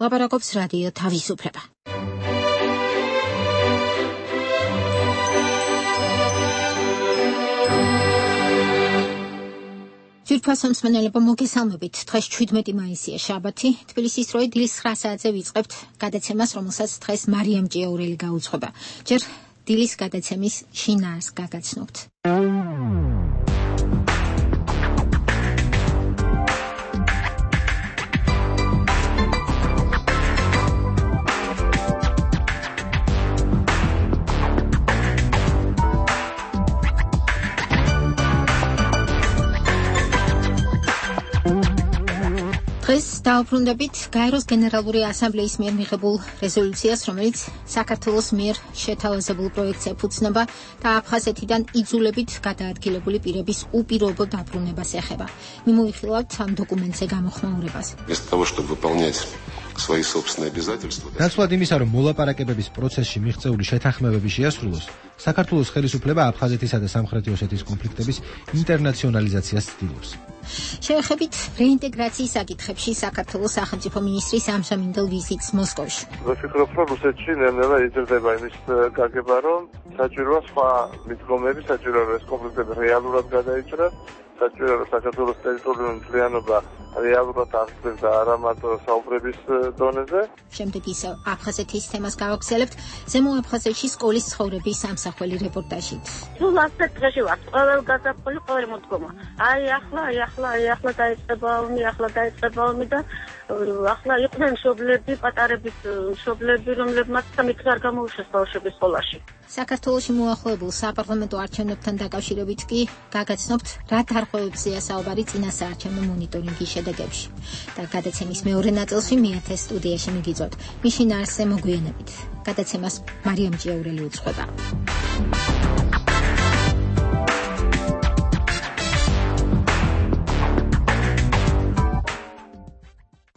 ლაპარაკობს რადიო თავისუფლება. ძვირფასო მსმენელებო, მოგესალმებით. დღეს 17 მაისია, შაბათი. თბილისის დროით დილის 9 საათზე ვიწყებთ გადაცემას, რომელსაც დღეს მარიამ ჭიაურელი გაუძღვება. ჯერ დილის გადაცემის შინაარსს გაგაცნობთ. დღეს დავუბრუნდებით გაეროს გენერალური ასამბლეის მიერ მიღებულ რეზოლუციას, რომელიც საქართველოს მიერ შეთავაზებულ პროექტს ეფუძნება და აფხაზეთიდან იძულებით გადაადგილებული პირების უპირობო დაბრუნებას ეხება. მიმოიხილავთ ამ დოკუმენტზე გამოხმაურებას. ნაცვლად იმისა, რომ მოლაპარაკებების პროცესში მიღწეული შეთანხმებები შეასრულოს, საქართველოს ხელისუფლება აფხაზეთისა და სამხრეთი ოსეთის კონფლიქტების ინტერნაციონალიზაციას ცდილობს. შევეხებით რეინტეგრაციის საკითხებში საქართველოს სახელმწიფო მინისტრის ამჟამინდელ ვიზიტს მოსკოვში. ვფიქრობ, რომ რუსეთში ნელ-ნელა იზრდება იმის გაგება, რომ საჭიროა სხვა მიდგომები, საჭიროა რომ ეს კონფლიქტები რეალურად გადაიჭრას, საჭიროა რომ საქართველოს ტერიტორიული მთლიანობა რეალურად აღწევს და არა მარტო საუბრების დონეზე. შემდეგ ისევ აფხაზეთის თემას გავაგრძელებთ ზემო აფხაზეთში სკოლის ცხოვრების ამსახველი რეპორტაჟით. სულ ასეთ დღეში ვარ, ყოველ გაზაფხული, ყოველ მოდგომა. ახლა დაიწყება ომი და ახლა იყვნენ მშობლები, პატარების მშობლები, რომლებმაც სამით არ გამოუშვეს ბავშვების სკოლაში. საქართველოში მოახლოებულ საპარლამენტო არჩევნებთან დაკავშირებით კი გაგაცნობთ რა დარღვევებზეა საუბარი წინასაარჩევნო მონიტორინგის შედეგებში. და გადაცემის მეორე ნაწილში მეათე სტუდიაში მიგიწვევთ. მის შინაარსზე მოგვიანებით. გადაცემას მარიამ ჭიაურელი უძღვება.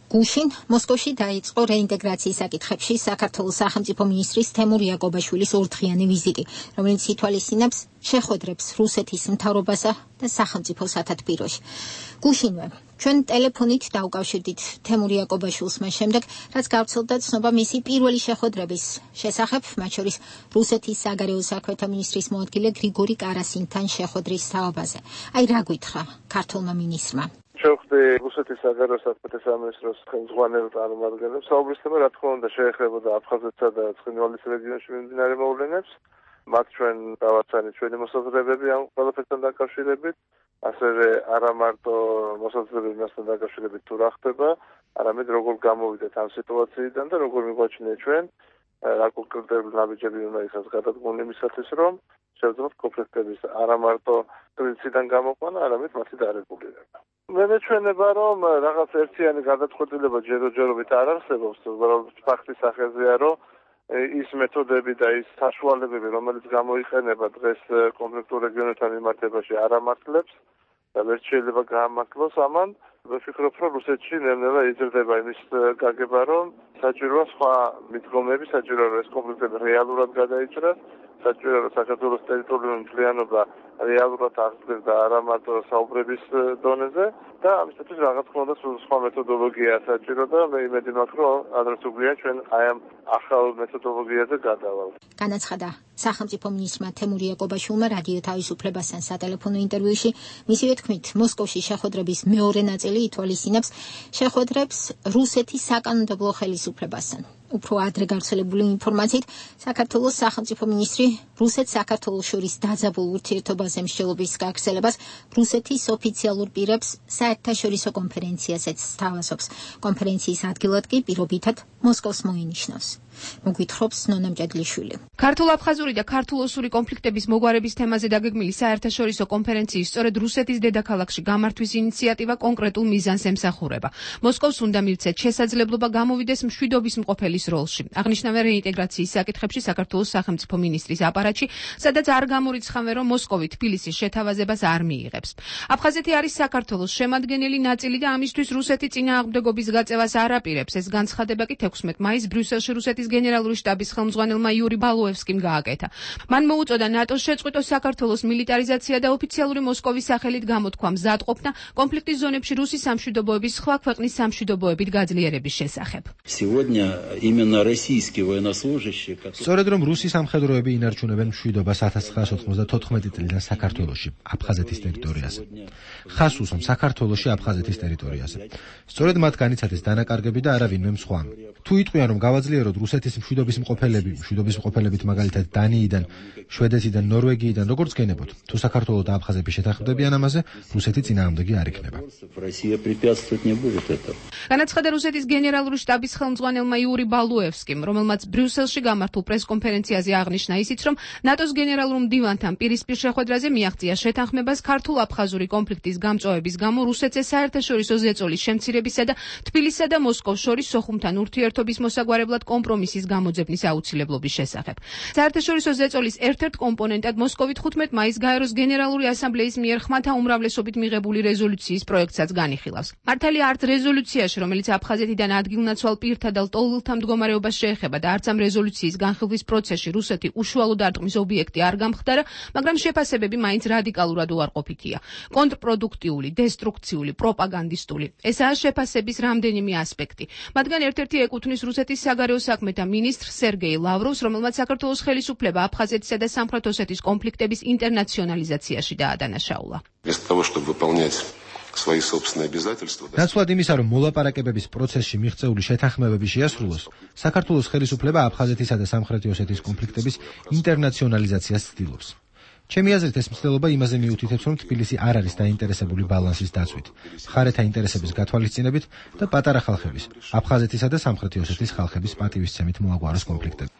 გუშინ მოსკოვში დაიწყო რეინტეგრაციის საკითხებში საქართველოს სახელმწიფო მინისტრის თემურ იაკობაშვილის ორდღიანი ვიზიტი, რომელიც ითვალისწინებს შეხვედრებს რუსეთის მთავრობასა და სახელმწიფო სათათბიროში. გუშინვე ჩვენ ტელეფონით დავუკავშირდით თემურ იაკობაშვილს მას შემდეგ, რაც გავრცელდა ცნობა მისი პირველი შეხვედრების შესახებ, მათ შორის რუსეთის საგარეო საქმეთა მინისტრის მოადგილე გრიგორი კარასინთან შეხვედრის თაობაზე. აი რა გითხრა ქართულმა მინისტრმა. შევხვდი რუსეთის საგარეო საქმეთა სამინისტროს ხელმძღვანელ წარმომადგენლებს. საუბრის თემა რა თქმა უნდა შეეხებოდა აფხაზეთსა და ცხინვალის რეგიონში მიმდინარე მოვლენებს. მათ ჩვენ დავაცანით ჩვენი მოსაზრებები ამ ყველაფერთან დაკავშირებით, ასევე არა მარტო მოსაზრებები მასთან დაკავშირებით თუ რა ხდება, არამედ როგორ გამოვიდეთ ამ სიტუაციიდან და როგორ მიგვაჩნია ჩვენ რა კონკრეტული ნაბიჯები უნდა იქნას გადადგმული იმისათვის, რომ შევძლოთ კონფლიქტების არა მარტო პრინციპიდან გამოყვანა, არამედ მათი დარეგულირება. მე მეჩვენება, რომ რაღაც ერთიანი გადაწყვეტილება ჯერჯერობით არ არსებობს, უბრალოდ ფაქტის სახეზეა, რომ ის მეთოდები და ის საშუალებები, რომელიც გამოიყენება დღეს კონფლიქტურ რეგიონებთან მიმართებაში, არ ამართლებს და ვერ შეიძლება გაამართლოს ამან. ვფიქრობ, რომ რუსეთში ნელ-ნელა იზრდება იმის გაგება, რომ საჭიროა სხვა მიდგომები, საჭიროა რომ ეს კონფლიქტები რეალურად გადაიჭრას, საჭიროა რომ საქართველოს ტერიტორიული მთლიანობა რეალურად აღწევს და არა მარტო საუბრების დონეზე და ამისათვის რაღაც თქმა უნდა სხვა მეთოდოლოგია საჭირო და მე იმედი მაქვს, რომ ადრე თუ გვიან ჩვენ აი ამ ახალ მეთოდოლოგიაზე გადავალთ. განაცხადა სახელმწიფო მინისტრმა თემურ იაკობაშვილმა რადიო თავისუფლებასთან სატელეფონო ინტერვიუში. მისივე თქმით, მოსკოვში შეხვედრების მეორე ნაწილი ითვალისწინებს შეხვედრებს რუსეთის საკანონმდებლო ხელისუფლებასთან. უფრო ადრე გავრცელებული ინფორმაციით, საქართველოს სახელმწიფო მინისტრი რუსეთ-საქართველოს შორის დაძაბულ ურთიერთობაზე მსჯელობის გაგრძელებას რუსეთის ოფიციალურ პირებს საერთაშორისო კონფერენციაზეც სთავაზობს. კონფერენციის ადგილად კი პირობითად მოსკოვს მოინიშნავს. მოგვითხრობს ნონა მჭედლიშვილი. ქართულ-აფხაზური და ქართულ-ოსური კონფლიქტების მოგვარების თემაზე დაგეგმილი საერთაშორისო კონფერენციის სწორედ რუსეთის დედაქალაქში გამართვის ინიციატივა კონკრეტულ მიზანს ემსახურება. მოსკოვს უნდა მივცეთ შესაძლებლობა გამოვიდეს მშვიდობის მყოფელის როლში. აღნიშნავენ რეინტეგრაციის საკითხებში საქართველოს სახელმწიფო მინისტრის აპარატში, სადაც არ გამორიცხავენ, რომ მოსკოვი თბილისის შეთავაზებას არ მიიღებს. აფხაზეთი არის საქართველოს შემადგენელი ნაწილი და ამისთვის რუსეთი წინააღმდეგობის გაწევას არ აპირებს. ეს განცხადება კი 16 მაისს ბრიუსელში რუსეთის რუსეთის გენერალური შტაბის ხელმძღვანელმა იური ბალუევსკიმ გააკეთა. მან მოუწოდა ნატოს შეწყვიტოს საქართველოს მილიტარიზაცია და ოფიციალური მოსკოვის სახელით გამოთქვა მზადყოფნა კონფლიქტის ზონებში რუსის სამშვიდობოების სხვა ქვეყნის სამშვიდობოებით გაძლიერების შესახებ. სწორედ რომ რუსი სამხედროები ინარჩუნებენ მშვიდობას 1994 წლიდან საქართველოში, აფხაზეთის ტერიტორიაზე. ხას უსვამ საქართველოში აფხაზეთის ტერიტორიაზე. სწორედ მათ განიცადეს დანაკარგები და არავინმე სხვა. თუ იტყვიან რომ გავაძლიეროთ რუსეთის მშვიდობის მყოფელებით მაგალითად დანიიდან, შვედეთიდან, ნორვეგიიდან როგორც გენებოთ, თუ საქართველო და აფხაზები შეთანხმდებიან ამაზე, რუსეთი წინააღმდეგი არ იქნება. განაცხადა რუსეთის გენერალური შტაბის ხელმძღვანელმა იური ბალუევსკიმ, რომელმაც ბრიუსელში გამართულ პრესკონფერენციაზე აღნიშნა ისიც, რომ ნატოს გენერალურ მდივანთან პირისპირ შეხვედრაზე მიაღწია შეთანხმებას ქართულ-აფხაზური კონფლიქტის გამწვავების გამო რუსეთზე საერთაშორისო ზეწოლის შემცირებისა და თბილისსა და მოსკოვს შორის სოხუმთან ურთიერთობის მოსაგვარებლად კომპრომისის გამოძებნის აუცილებლობის შესახებ. საერთაშორისო ზეწოლის ერთ-ერთ კომპონენტად მოსკოვით 15 მაისს გაეროს გენერალური ასამბლეის მიერ ხმათა უმრავლესობით მიღებული რეზოლუციის პროექტსაც განიხილავს. მართალია არც რეზოლუციაში, რომელიც აფხაზეთიდან ადგილნაცვალ პირთა და ლტოლვილთა მდგომარეობას შეეხება და არც ამ რეზოლუციის განხილვის პროცესში რუსეთი უშუალო დარტყმის ობიექტი არ გამხდარა, მაგრამ შეფასებები მაინც რადიკალურად უარყოფითია. კონტრპროდუქტიული, დესტრუქციული, პროპაგანდისტული. ესაა შეფასების რამდენიმე ასპექტი. მათგან ერთ-ერთი ეკუთვნის რუსეთის საგარეო საქმეთა მინისტრ სერგეი ლავროვს, რომელმაც საქართველოს ხელისუფლება აფხაზეთისა და სამხრეთ ოსეთის კონფლიქტების ინტერნაციონალიზაციაში დაადანაშაულა. ნაცვლად იმისა, რომ მოლაპარაკებების პროცესში მიღწეული შეთანხმებები შეასრულოს, საქართველოს ხელისუფლება აფხაზეთისა და სამხრეთი ოსეთის კონფლიქტების ინტერნაციონალიზაციას ცდილობს. ჩემი აზრით ეს მცდელობა იმაზე მიუთითებს, რომ თბილისი არ არის დაინტერესებული ბალანსის დაცვით, მხარეთა ინტერესების გათვალისწინებით და პატარა ხალხების, აფხაზეთისა და სამხრეთი ოსეთის ხალხების პატივისცემით მოაგვაროს კონფლიქტები.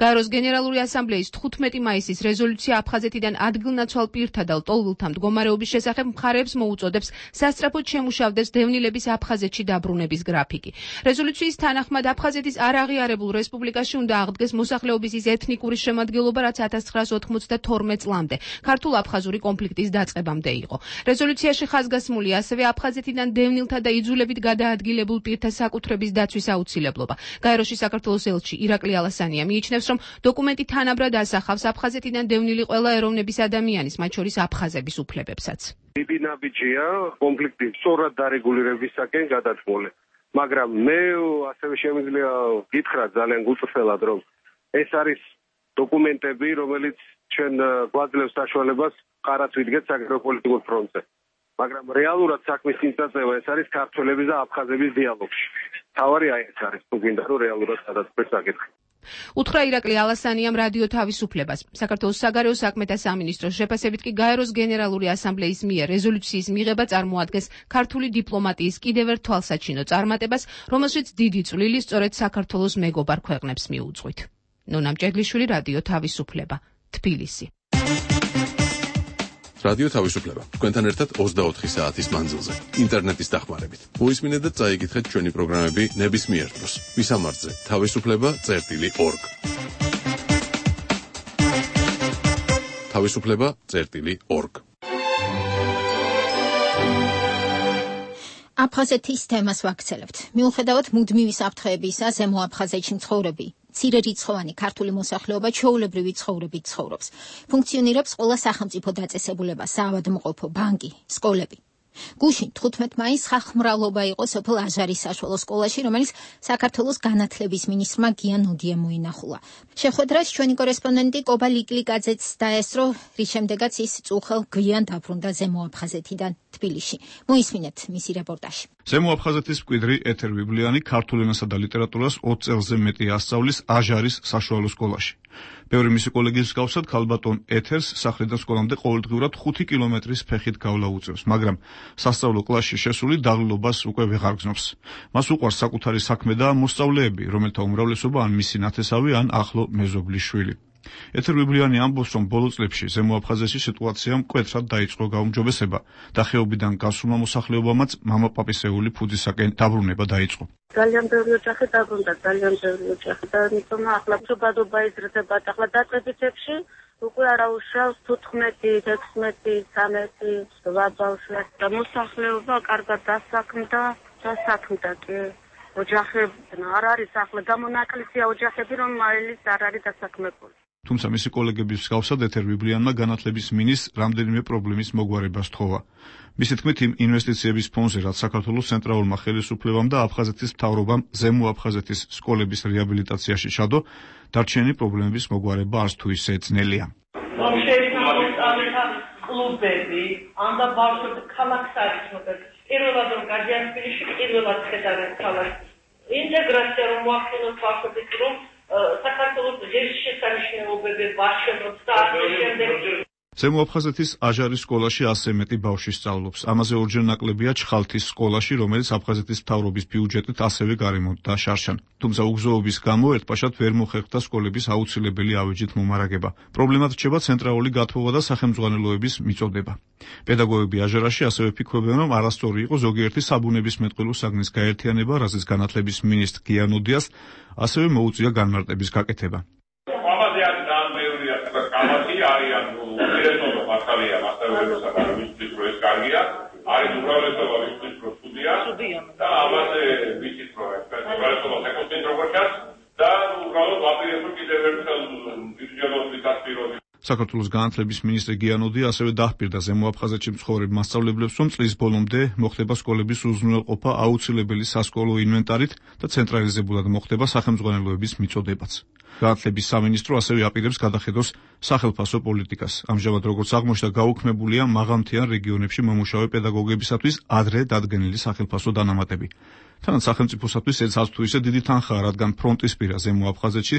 გაეროს გენერალური ასამბლეის 15 მაისის რეზოლუცია აფხაზეთიდან ადგილნაცვალ პირთა და ლტოლვილთა მდგომარეობის შესახებ მხარეებს მოუწოდებს სასწრაფოდ შემუშავდეს დევნილების აფხაზეთში დაბრუნების გრაფიკი. რეზოლუციის თანახმად აფხაზეთის არაღიარებულ რესპუბლიკაში უნდა აღდგეს მოსახლეობის ის ეთნიკური შემადგენლობა, რაც 1992 წლამდე ქართულ-აფხაზური კონფლიქტის დაწყებამდე იყო. რეზოლუციაში ხაზგასმულია ასევე აფხაზეთიდან დევნილთა და იძულებით გადაადგილებულ პირთა საკუთრების დაცვის აუცილებლობა. გაეროში საქართველოს ელჩი ირაკლი ალასანია მიიჩნევს, რომ დოკუმენტი თანაბრად ასახავს აფხაზეთიდან დევნილი ყველა ეროვნების ადამიანის, მათ შორის აფხაზების უფლებებსაც. ბიბინაბიჯია კონფლიქტის სწორად დარეგულირებისაკენ გადათმული. მაგრამ მე ასევე შემიძლია გითხრა ძალიან გუწრფელად, რომ ეს არის დოკუმენტები, რომელიც ჩვენ გვაძლევს საშუალებას ყარაც ვიდგეთ საგეოპოლიტიკურ ფრონტზე. მაგრამ რეალურად საქმის წინწაწევა ეს არის ქართველების და აფხაზების დიალოგში. თავარი აი ეს არის, თუ გინდა რომ რეალურად გადაწყვეტს საკითხი. უთხრა ირაკლი ალასანიამ რადიო თავისუფლებას. საქართველოს საგარეო საქმეთა სამინისტროს შეფასებით კი გაეროს გენერალური ასამბლეის მიერ რეზოლუციის მიღება წარმოადგენს ქართული დიპლომატიის კიდევ ერთ თვალსაჩინო წარმატებას, რომელშიც დიდი წვლილი სწორედ საქართველოს მეგობარ ქვეყნებს მიუძღვით. ნონა მჭედლიშვილი, რადიო თავისუფლება, თბილისი. რადიო თავისუფლება. თქვენთან ერთად 24 საათის მანძილზე, ინტერნეტის დახმარებით. მოისმინეთ და წაიკითხეთ ჩვენი პროგრამები ნებისმიერ დროს. ვისამართზე თავისუფლება.org. თავისუფლება.org. აფხაზეთის თემას ვაქცელებთ. მიუხედავად მუდმივი საფრთხეებისა, ზემო აფხაზეთში მცხოვრები მცირერიცხოვანი ქართული მოსახლეობა ჩვეულებრივი ცხოვრებით ცხოვრობს. ფუნქციონირებს ყველა სახელმწიფო დაწესებულება, საავადმყოფო, ბანკი, სკოლები. გუშინ 15 მაისს ხალხმრავლობა იყო სოფელ აჟარის საშუალო სკოლაში, რომელიც საქართველოს განათლების მინისტრმა გიან ოდიამ მოინახულა. შეხვედრას ჩვენი კორესპონდენტი კობა ლიკლიკაძეც დაესწრო, რის შემდეგაც ის წუხელ გვიან დაბრუნდა ზემო აფხაზეთიდან თბილისში. მოისმინეთ მისი რეპორტაჟი. ზემო აფხაზეთის მკვიდრი ეთერ ვიბლიანი ქართულ ენასა და ლიტერატურას 20 წელზე მეტი ასწავლის აჟარის საშუალო სკოლაში. ბევრი მისი კოლეგის მსგავსად ქალბატონ ეთერს სახლიდან სკოლამდე ყოველდღიურად 5 კილომეტრის ფეხით გავლა უწევს, მაგრამ სასწავლო კლასში შესული დაღლილობას უკვე ვეღარ გზნობს. მას უყვარს საკუთარი საქმე და მოსწავლეები, რომელთა უმრავლესობა ან მისი ნათესავი, ან ახლო მეზობლის შვილი. ეთერ ვიბლიანი ამბობს, რომ ბოლო წლებში ზემო აფხაზეთში სიტუაცია მკვეთრად დაიწყო გაუმჯობესება და ხეობიდან გასულმა მოსახლეობამაც მამაპაპისეული ფუძისაკენ დაბრუნება დაიწყო. ძალიან ბევრი ოჯახი დაბრუნდა, ძალიან ბევრი ოჯახი და იმიტომ ახლა შობადობა იზრდება, ახლა დაწყებითებში უკვე არაუშავს 15, 16, 13, 8 ბავშვი და მოსახლეობა კარგად დასაქმდა. და საქმედა კი ოჯახები არ არის ახლა გამონაკლისია ოჯახები რომ მაილის არ არის დასაქმებული. თუმცა მისი კოლეგების მსგავსად ეთერ ბიბლიანმა განათლების მინისტრს რამდენიმე პრობლემის მოგვარება სთხოვა. მისი თქმით, იმ ინვესტიციების ფონდზე, რაც საქართველოს ცენტრალურმა ხელისუფლებამ და აფხაზეთის მთავრობამ ზემო აფხაზეთის სკოლების რეაბილიტაციაში ჩადო, დარჩენილი პრობლემების მოგვარება არც თუ ისე ძნელია. კლუბები, ანდა ბავშვები ქალაქს არის მოკლედ. პირველად რომ გაჯანსპილში პირველად ხედავენ ქალაქს. ინტეგრაცია რომ მოახდინოს ბავშვების რომ საქართველოს ღირსშესანიშნაობები ვაშენოთ და ასე შემდეგ. ზემო აფხაზეთის აჟარის სკოლაში 100 მეტი ბავშვი სწავლობს. ამაზე ორჯერ ნაკლებია ჩხალთის სკოლაში, რომელიც აფხაზეთის მთავრობის ბიუჯეტით ასევე გარემონტდა შარშან. თუმცა უგზოობის გამო ერთპაშად ვერ მოხერხდა სკოლების აუცილებელი ავეჯით მომარაგება. პრობლემად რჩება ცენტრალური გათხოვა და სახელმძღვანელოების მიწოდება. პედაგოგები აჟარაში ასევე ფიქრობენ, რომ არასწორი იყო ზოგიერთი საბუნებისმეტყველო საგნის გაერთიანება, რაზეც განათლების მინისტრ გიანოდიას ასევე მოუწია განმარტების გაკეთება. არიან დირექტორი მასალია მასწავლებელსა და ვისთვის პროექტ კარგია არის უბრალესობა ვისთვის პროექტია და ამაზე ვიცით პროექტი უბრალესობა საკონცენტრაციას და უბრალოდ ვაპირებთ კიდევ ერთ ბიუჯეტის დასპიროს. საქართველოს განათლების მინისტრი გიანოდი ასევე დაჰპირდა ზემო აფხაზეთში მცხოვრებ მასწავლებლებს, რომ წლის ბოლომდე მოხდება სკოლების უზრუნველყოფა აუცილებელი სასკოლო ინვენტარით და ცენტრალიზებულად მოხდება სახელმძღვანელოების მიწოდებაც. განათლების სამინისტრო ასევე აპირებს გადახედოს სახელფასო პოლიტიკას. ამჟამად როგორც აღმოჩნდა, გაუქმებულია მაღალმთიან რეგიონებში მომუშავე პედაგოგებისათვის ადრე დადგენილი სახელფასო დანამატები. თანაც სახელმწიფოსათვის ეს არც თუ ისე დიდი თანხაა, რადგან ფრონტისპირა ზემო აფხაზეთში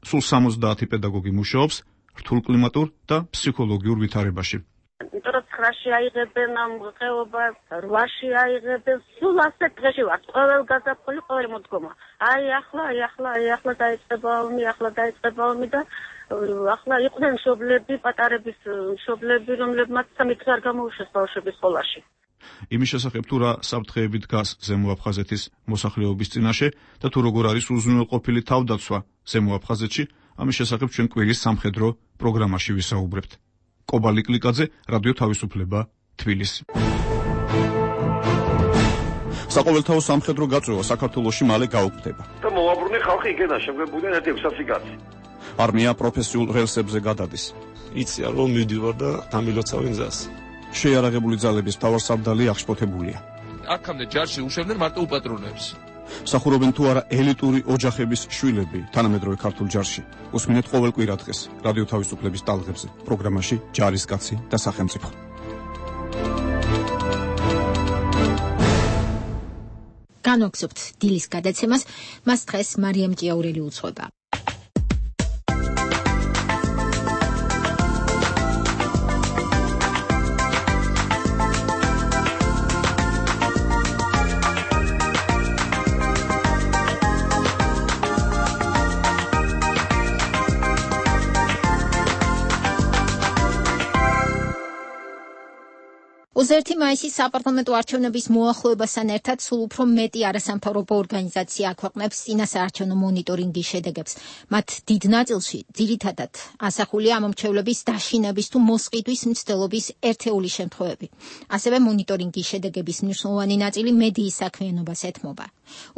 სულ 70 პედაგოგი მუშაობს რთულ კლიმატურ და ფსიქოლოგიურ ვითარებაში. იმიტომ 9-ში აიღებენ ამ ხეობას, 8-ში აიღებენ, სულ ასეთ დღეში ვარ. ყოველ გაზაფხული, ყოველი მოდგომა. ახლა დაიწყება ომი და ახლა იყვნენ მშობლები, პატარების მშობლები, რომლებმაც 3 დღე არ გამოუშვეს ბავშვების სკოლაში. იმის შესახებ თუ რა საფრთხეები დგას ზემო აფხაზეთის მოსახლეობის წინაშე და თუ როგორ არის უზრუნველყოფილი თავდაცვა ზემო აფხაზეთში, ამის შესახებ ჩვენ კვირის სამხედრო პროგრამაში ვისაუბრებთ. კობალი კლიკაძე, რადიო თავისუფლება, თბილისი. საყოველთაო სამხედრო გაწვევა საქართველოში მალე გაუქმდება. და მოაბრუნე ხალხი იქედა, შემგებულიდან ერთი 600 კაცი. არმია პროფესიულ რელსებზე გადადის. იციან რომ მივდივარ და დამილოცავენ გზას. შეიარაღებული ძალების მთავარსარდალი აღშფოთებულია. აქამდე ჯარში უშვებდნენ მარტო უპატრონებს. სახურობენ თუ არა ელიტური ოჯახების შვილები თანამედროვე ქართულ ჯარში. უსმინეთ ყოველ კვირა დღეს რადიო თავისუფლების ტალღებზე პროგრამაში ჯარისკაცი და სახელმწიფო. განვაგრძობთ დილის გადაცემას, მას დღეს მარიამ ჭიაურელი უძღვება. ოზ-1 მაისის საპარლამენტო არჩევნების მოახლოებასთან ერთად სულ უფრო მეტი არასამთავრობო ორგანიზაცია აქვეყნებს წინასაარჩევნო მონიტორინგის შედეგებს. მათ დიდ ნაწილში ძირითადად ასახულია ამომრჩევლების დაშინების თუ მოსყიდვის მცდელობის ერთეული შემთხვევები. ასევე მონიტორინგის შედეგების მნიშვნელოვანი ნაწილი მედიის საქმიანობას ეთმობა.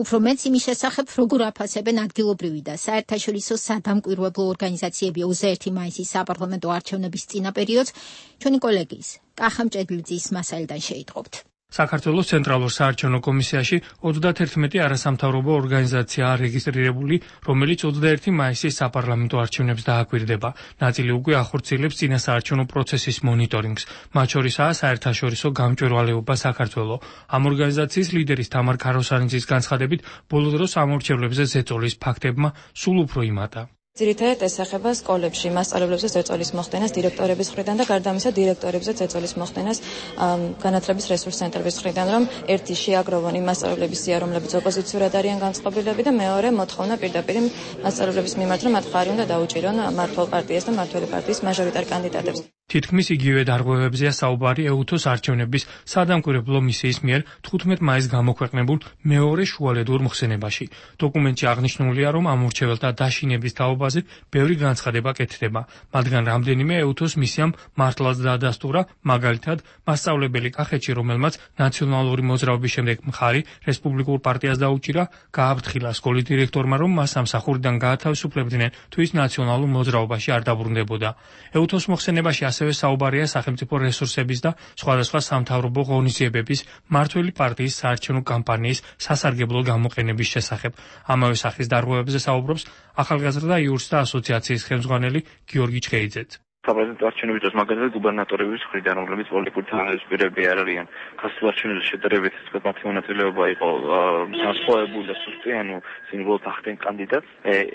უფრო მეც იმის შესახებ, როგორ აფასებენ ადგილობრივი და საერთაშორისო სადამკვირვებლო ორგანიზაციები ოზ-1 მაისის საპარლამენტო არჩევნების წინა პერიოდს, ჩვენი კოლეგის კახამ ჭედლიძის მასალიდან შეიტყობთ. საქართველოს ცენტრალურ საარჩევნო კომისიაში 31 არასამთავრობო ორგანიზაციაა რეგისტრირებული, რომელიც 21 მაისის საპარლამენტო არჩევნებს დააკვირდება. ნაწილი უკვე ახორციელებს წინასაარჩევნო პროცესის მონიტორინგს. მათ შორისაა საერთაშორისო გამჭვირვალეობა საქართველოს. ამ ორგანიზაციის ლიდერის თამარ ქაროსანიძის განცხადებით, ბოლო დროს ამორჩევლებზე ზეწოლის ფაქტებმა სულ უფრო იმატა. ძირითადად ეს ეხება სკოლებში მასწავლებლებზე ზეწოლის მოხდენას დირექტორების მხრიდან და გარდა ამისა დირექტორებზე ზეწოლის მოხდენას განათლების რესურს ცენტრების მხრიდან, რომ ერთი შეაგროვონ იმ მასწავლებლების სია, რომლებიც ოპოზიციურად არიან განწყობილები და მეორე მოთხოვნა პირდაპირ მასწავლებლების მიმართ, რომ მათ ხარი უნდა დაუჭირონ მმართველ პარტიას და მმართველი პარტიის მაჟორიტარ კანდიდატებს. თითქმის იგივე დარღვევებზეა საუბარი ეუთოს არჩევნების სადამკვირვებლო მისიის მიერ 15 მაისს გამოქვეყნებულ მეორე შუალედურ მოხსენებაში. დოკუმენტში აღნიშნულია, რომ ამ მორჩეველთა დაშინების თაობაზე ბევრი განცხადება კეთდება, მათგან რამდენიმე ეუთოს მისიამ მართლაც დაადასტურა, მაგალითად, მასწავლებელი კახეთში, რომელმაც ნაციონალური მოძრაობის შემდეგ მხარი რესპუბლიკურ პარტიას დაუჭირა, გააფრთხილა სკოლის დირექტორმა, რომ მას სამსახურიდან გაათავისუფლებდნენ, თუ ის ნაციონალურ მოძრაობაში არ დაბრუნდებოდა. ეუთოს მოხსენებაში ასევე საუბარია სახელმწიფო რესურსების და სხვადასხვა სამთავრობო ღონისძიებების მმართველი პარტიის საარჩევნო კამპანიის სასარგებლო გამოყენების შესახებ. ამავე სახის დარღვევებზე საუბრობს ახალგაზრდა იურსთა ასოციაციის ხელმძღვანელი გიორგი ჩხეიძეც. საპრეზიდენტო არჩევნების დროს მაგალითად გუბერნატორების მხრიდან, რომლებიც პოლიტიკური თანამდებობები არ არიან, ხასიათურ არჩევნებში შედარებით მათი მონაწილეობა იყო განსხვავებული და სუსტი, სიმბოლოდ ახდენ კანდიდატს.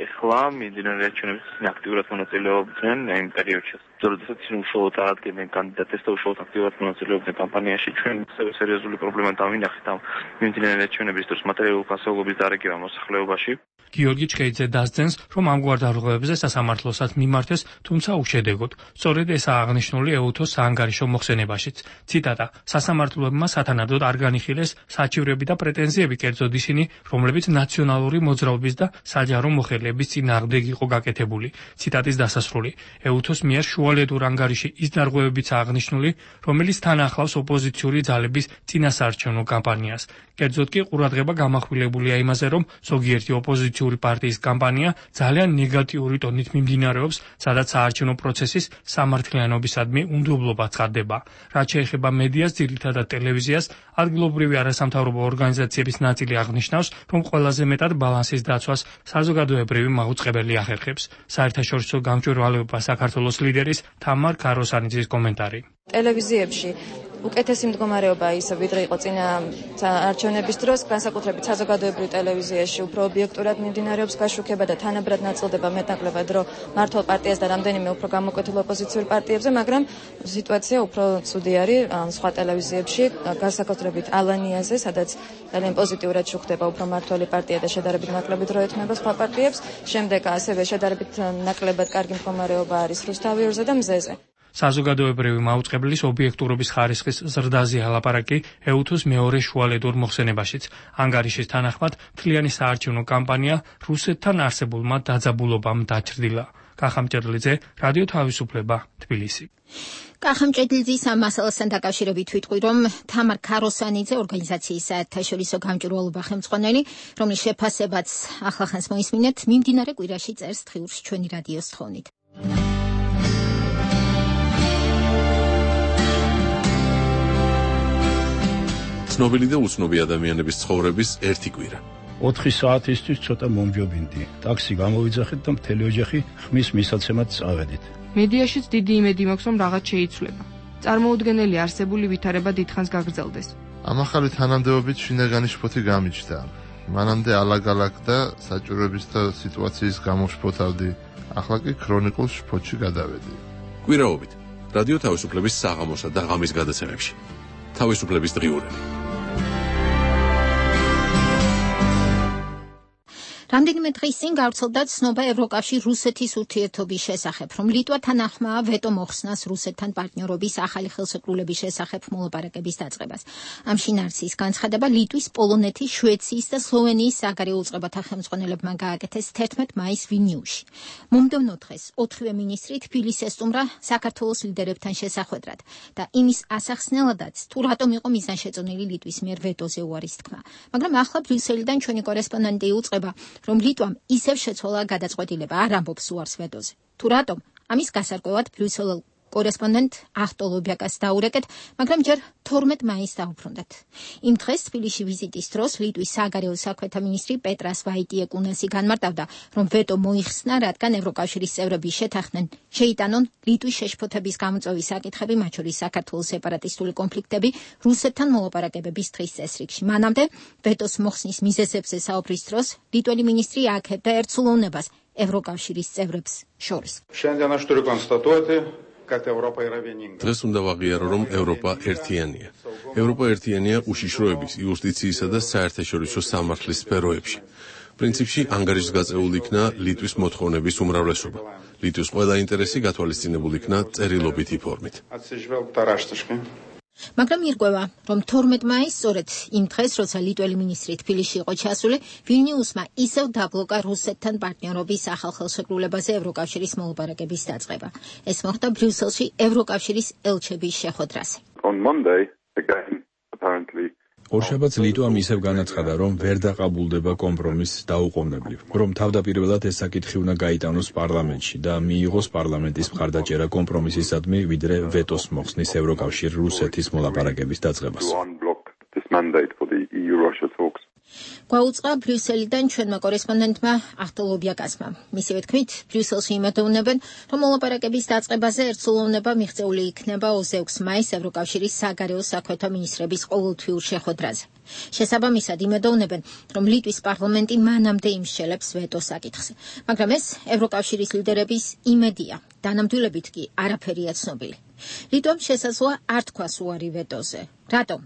ეხლა მიმდინარე არჩევნებში აქტიურად მონაწილეობდნენ იმ პერიოდში. როდესაც უშუალოდ აღადგენდნენ კანდიდატებს და უშუალოდ აქტიურად მონაწილეობდნენ კამპანიაში, ჩვენ სერიოზული პრობლემა დავინახეთ ამ მიმდინარე არჩევნების დროს მატერიალური განსხვავების დარიგება მოსახლეობაში. გიორგი ჩხეიძე დასძენს, რომ ამგვარ დარღვევებზე სასამართლოსაც მიმართეს, თუმცა უშედეგოდ. სწორედ ესაა აღნიშნული ეუთოს საანგარიშო მოხსენებაშიც. ციტატა: სასამართლოებმა სათანადოდ არ განიხილეს საჩივრები და პრეტენზიები, კერძოდ ისინი, რომლებიც ნაციონალური მოძრაობის და საჯარო მოხელეების წინააღმდეგ იყო გაკეთებული. ციტატის დასასრული. ეუთოს მიერ შუალედურ ანგარიში ის დარღვევებიცაა აღნიშნული, რომელიც თან ახლავს ოპოზიციური ძალების წინასაარჩევნო კამპანიას. კერძოდ კი ყურადღება გამახვილებულია იმაზე, რომ ზოგიერთი ოპოზიციური პარტიის კამპანია ძალიან ნეგატიური ტონით მიმდინარეობს, სადაც საარჩევნო პროცესის სამართლიანობისადმი უნდობლობა ცხადდება. რაც შეეხება მედიას, ძირითადად ტელევიზიას, ადგილობრივი არასამთავრობო ორგანიზაციების ნაწილი აღნიშნავს, რომ ყველაზე მეტად ბალანსის დაცვას საზოგადოებრივი მაუწყებელი ახერხებს. საერთაშორისო გამჭვირვალეობა საქართველოს ლიდერის თამარ ქაროსანიძის კომენტარი. ტელევიზიებში უკეთესი მდგომარეობა ისე ვიდრე იყო წინა არჩევნების დროს, განსაკუთრებით საზოგადოებრივ ტელევიზიაში უფრო ობიექტურად მიმდინარეობს გაშუქება და თანაბრად ნაწილდება მეტნაკლებად დრო მართლ პარტიას და რამდენიმე უფრო გამოკვეთილ ოპოზიციურ პარტიებზე, მაგრამ სიტუაცია უფრო ცუდი არის სხვა ტელევიზიებში, განსაკუთრებით ალანიაზე, სადაც ძალიან პოზიტიურად შუქდება უფრო მმართველი პარტია და შედარებით ნაკლები დრო ეთმება სხვა პარტიებს. შემდეგ ასევე შედარებით ნაკლებად კარგი მდგომარეობა არის რუსთავიორზე და მზეზე. საზოგადოებრივი მაუწყებლის ობიექტურობის ხარისხის ზრდაზეა ლაპარაკი ეუთოს მეორე შუალედურ მოხსენებაშიც. ანგარიშის თანახმად, მთლიანი საარჩევნო კამპანია რუსეთთან არსებულმა დაძაბულობამ დაჩრდილა. კახამჭედლიძე, რადიო თავისუფლება, თბილისი. კახამჭედლიძის ამ მასალასთან დაკავშირებით ვიტყვი, რომ თამარ ქაროსანიძე, ორგანიზაციის საერთაშორისო გამჭვირვალობა ხელმძღვანელი, რომლის შეფასებაც ახლახანს მოისმინეთ, მიმდინარე კვირაში წერს თხიურში ჩვენი რადიოს თხოვნით. ცნობილი და უცნობი ადამიანების ცხოვრების ერთი კვირა. 4 საათისთვის ცოტა მომჯობინდი. ტაქსი გამოვიძახეთ და მთელი ოჯახი ხმის მისაცემად წავედით. მედიაშიც დიდი იმედი მაქვს, რომ რაღაც შეიცვლება. წარმოუდგენელი არსებული ვითარება დიდხანს გაგრძელდეს. ამ ახალი თანამდებობით შინაგანი შფოთი გამიჩნდა. მანამდე ალაგ-ალაგ და საჭიროების და სიტუაციის გამო შფოთავდი. ახლა კი ქრონიკულ შფოთში გადავედი. კვირაობით რადიო თავისუფლების საღამოსა და ღამის გადაცემებში. თავისუფლების დღიურები. რამდენიმე დღის წინ გავრცელდა ცნობა ევროკავშირ რუსეთის ურთიერთობის შესახებ, რომ ლიტვა თანახმაა ვეტო მოხსნას რუსეთთან პარტნიორობის ახალი ხელშეკრულების შესახებ მოლაპარაკების დაწყებას. ამ შინაარსის განცხადება ლიტვის, პოლონეთის, შვეიციის და სლოვენიის საგარეო უწყებათა ხელმძღვანელებმა გააკეთეს 11 მაისს ვილნიუსში. მომდევნო დღეს 4-ვე მინისტრი თბილისს ესტუმრა საქართველოს ლიდერებთან შესახვედრად და იმის ასახსნელადაც, თუ რატომ იყო მიზანშეწონილი ლიტვის მიერ ვეტოზე უარის თქმა. მაგრამ ახლა ბრიუსელიდან ჩვენი კორესპონდენტი იუწყება, რომ ლიტვამ ისევ შეცვალა გადაწყვეტილება, არ ამბობს უარს ვეტოზე. თუ რატომ? ამის გასარკვევად ბრიუსელელ კორესპონდენტ ახტო ლობიაკას დაურეკეთ, მაგრამ ჯერ 12 მაისს დაუბრუნდათ. იმ დღეს თბილისში ვიზიტის დროს ლიტვის საგარეო საქმეთა მინისტრი პეტრას ვაიტიეკუნასი განმარტავდა, რომ ვეტო მოიხსნა, რადგან ევროკავშირის წევრები შეთანხმდნენ შეიტანონ ლიტვის შეშფოთების გამოწვევის საკითხები, მათ შორის საქართველოს სეპარატისტული კონფლიქტები რუსეთთან მოლაპარაკებების დღის წესრიგში. მანამდე ვეტოს მოხსნის მიზეზებზე საუბრის დროს ლიტველი მინისტრი ააქებდა ერთსულოვნებას ევროკავშირის წევრებს შორის. დღეს უნდა ვაღიარო, რომ ევროპა ერთიანია. ევროპა ერთიანია უშიშროების, იუსტიციისა და საერთაშორისო სამართლის სფეროებში. პრინციპში ანგარიშგაწეული იქნა ლიტვის მოთხოვნების უმრავლესობა. ლიტვის ყველა ინტერესი გათვალისწინებული იქნა წერილობითი ფორმით. მაგრამ ირკვევა, რომ 12 მაისს სწორედ იმ დღეს, როცა ლიტველი მინისტრი თბილისში იყო ჩასული, ვილნიუსმა ისევ დაბლოკა რუსეთთან პარტნიორობის ახალ ხელშეკრულებაზე ევროკავშირის მოლაპარაკების დაწყება. ეს მოხდა ბრიუსელში ევროკავშირის ელჩების შეხვედრაზე. On Monday, again, apparently ორშაბათს ლიტვამ ისევ განაცხადა, რომ ვერ დაყაბულდება კომპრომისს დაუყოვნებლივ, რომ თავდაპირველად ეს საკითხი უნდა გაიტანოს პარლამენტში და მიიღოს პარლამენტის მხარდაჭერა კომპრომისისადმი, ვიდრე ვეტოს მოხსნის ევროკავშირ რუსეთის მოლაპარაკების დაწყებას. გვაუწყა ბრიუსელიდან ჩვენმა კორესპონდენტმა ახტოლობიაკასმა. მისივე თქმით, ბრიუსელში იმედოვნებენ, რომ მოლაპარაკების დაწყებაზე ერთსულოვნება მიღწეული იქნება 26 მაისს ევროკავშირის საგარეო საქმეთა მინისტრების ყოველთვიურ შეხვედრაზე. შესაბამისად იმედოვნებენ, რომ ლიტვის პარლამენტი მანამდე იმსჯელებს ვეტოს საკითხზე. მაგრამ ეს ევროკავშირის ლიდერების იმედია, დანამდვილებით კი არაფერია ცნობილი. ლიტვამ შესაძლოა არ თქვას უარი ვეტოზე. რატომ?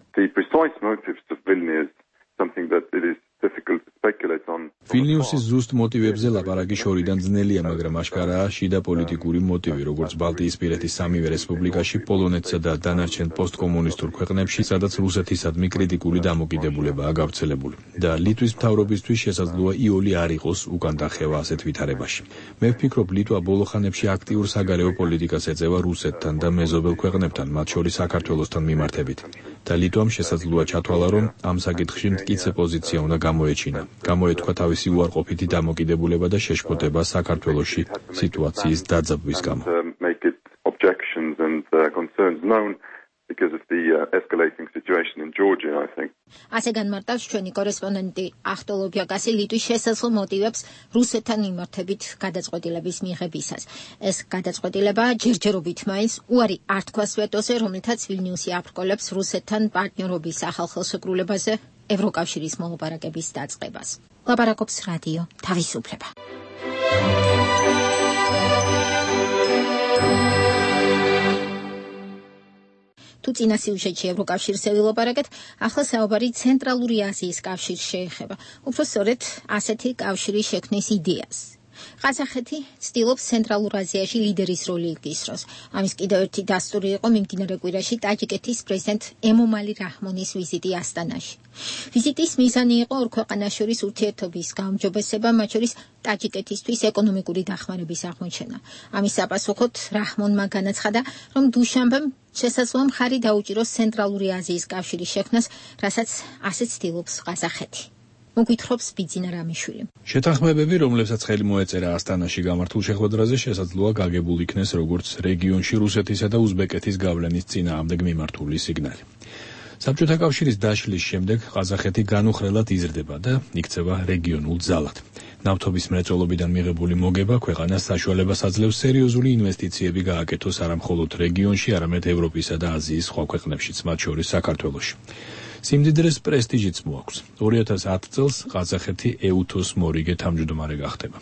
ვილნიუსის ზუსტ მოტივებზე ლაპარაკი შორიდან ძნელია, მაგრამ აშკარაა შიდა პოლიტიკური მოტივი, როგორც ბალტიისპირეთის სამივე რესპუბლიკაში, პოლონეთსა და დანარჩენ პოსტკომუნისტურ ქვეყნებში, სადაც რუსეთისადმი კრიტიკული დამოკიდებულებაა გავრცელებული. და ლიტვის მთავრობისთვის შესაძლოა იოლი არ იყოს უკან დახევა ასეთ ვითარებაში. მე ვფიქრობ, ლიტვა ბოლო ხანებში აქტიურ საგარეო პოლიტიკას ეწევა რუსეთთან და მეზობელ ქვეყნებთან, მათ შორის საქართველოსთან მიმართებით. და ლიტვამ შესაძლოა ჩათვალა, რომ ამ საკითხში მტკიცე პოზიცია უნდა გამოეჩინა. გამოეთქვა თავისი უარყოფითი დამოკიდებულება და შეშფოთება საქართველოში სიტუაციის დაძაბვის გამო. ასე განმარტავს ჩვენი კორესპონდენტი ახტოლობიაკასი ლიტვის შესაძლო მოტივებს რუსეთთან მიმართებით გადაწყვეტილების მიღებისას. ეს გადაწყვეტილება ჯერჯერობით მაინც უარი არ თქვას ვეტოზე, რომლითაც ვილნიუსი აბრკოლებს რუსეთთან პარტნიორობის ახალ ხელშეკრულებაზე ევროკავშირის მოლაპარაკების დაწყებას. ლაპარაკობს რადიო თავისუფლება. თუ წინა სიუჟეტში ევროკავშირზე ვილაპარაკეთ, ახლა საუბარი ცენტრალური აზიის კავშირს შეეხება. უფრო სწორედ ასეთი კავშირის შექმნის იდეას. ყაზახეთი ცდილობს ცენტრალურ აზიაში ლიდერის როლი იგისროს. ამის კიდევ ერთი დასტური იყო მიმდინარე კვირაში ტაჯიკეთის პრეზიდენტ ემომალი რაჰმონის ვიზიტი ასტანაში. ვიზიტის მიზანი იყო ორ ქვეყანას შორის ურთიერთობის გაუმჯობესება, მათ შორის ტაჯიკეთისთვის ეკონომიკური დახმარების აღმოჩენა. ამის საპასუხოდ რაჰმონმა განაცხადა, რომ დუშანბემ შესაძლოა მხარი დაუჭიროს ცენტრალური აზიის კავშირის შექმნას, რასაც ასეც ცდილობს ყაზახეთი. მოგვითხრობს ბიძინა რამიშვილი. შეთანხმებები, რომლებსაც ხელი მოეწერა ასტანაში გამართულ შეხვედრაზე, შესაძლოა გაგებულ იქნეს როგორც რეგიონში რუსეთისა და უზბეკეთის გავლენის წინააღმდეგ მიმართული სიგნალი. საბჭოთა კავშირის დაშლის შემდეგ ყაზახეთი განუხრელად იზრდება და იქცევა რეგიონულ ძალად. ნავთობის მრეწველობიდან მიღებული მოგება ქვეყანას საშუალებას აძლევს სერიოზული ინვესტიციები გააკეთოს არა მხოლოდ რეგიონში, არამედ ევროპისა და აზიის სხვა ქვეყნებშიც, მათ შორის საქართველოში. სიმდიდრეს პრესტიჟიც მოაქვს. 2010 წელს ყაზახეთი ეუთოს მორიგე თავმჯდომარე გახდება.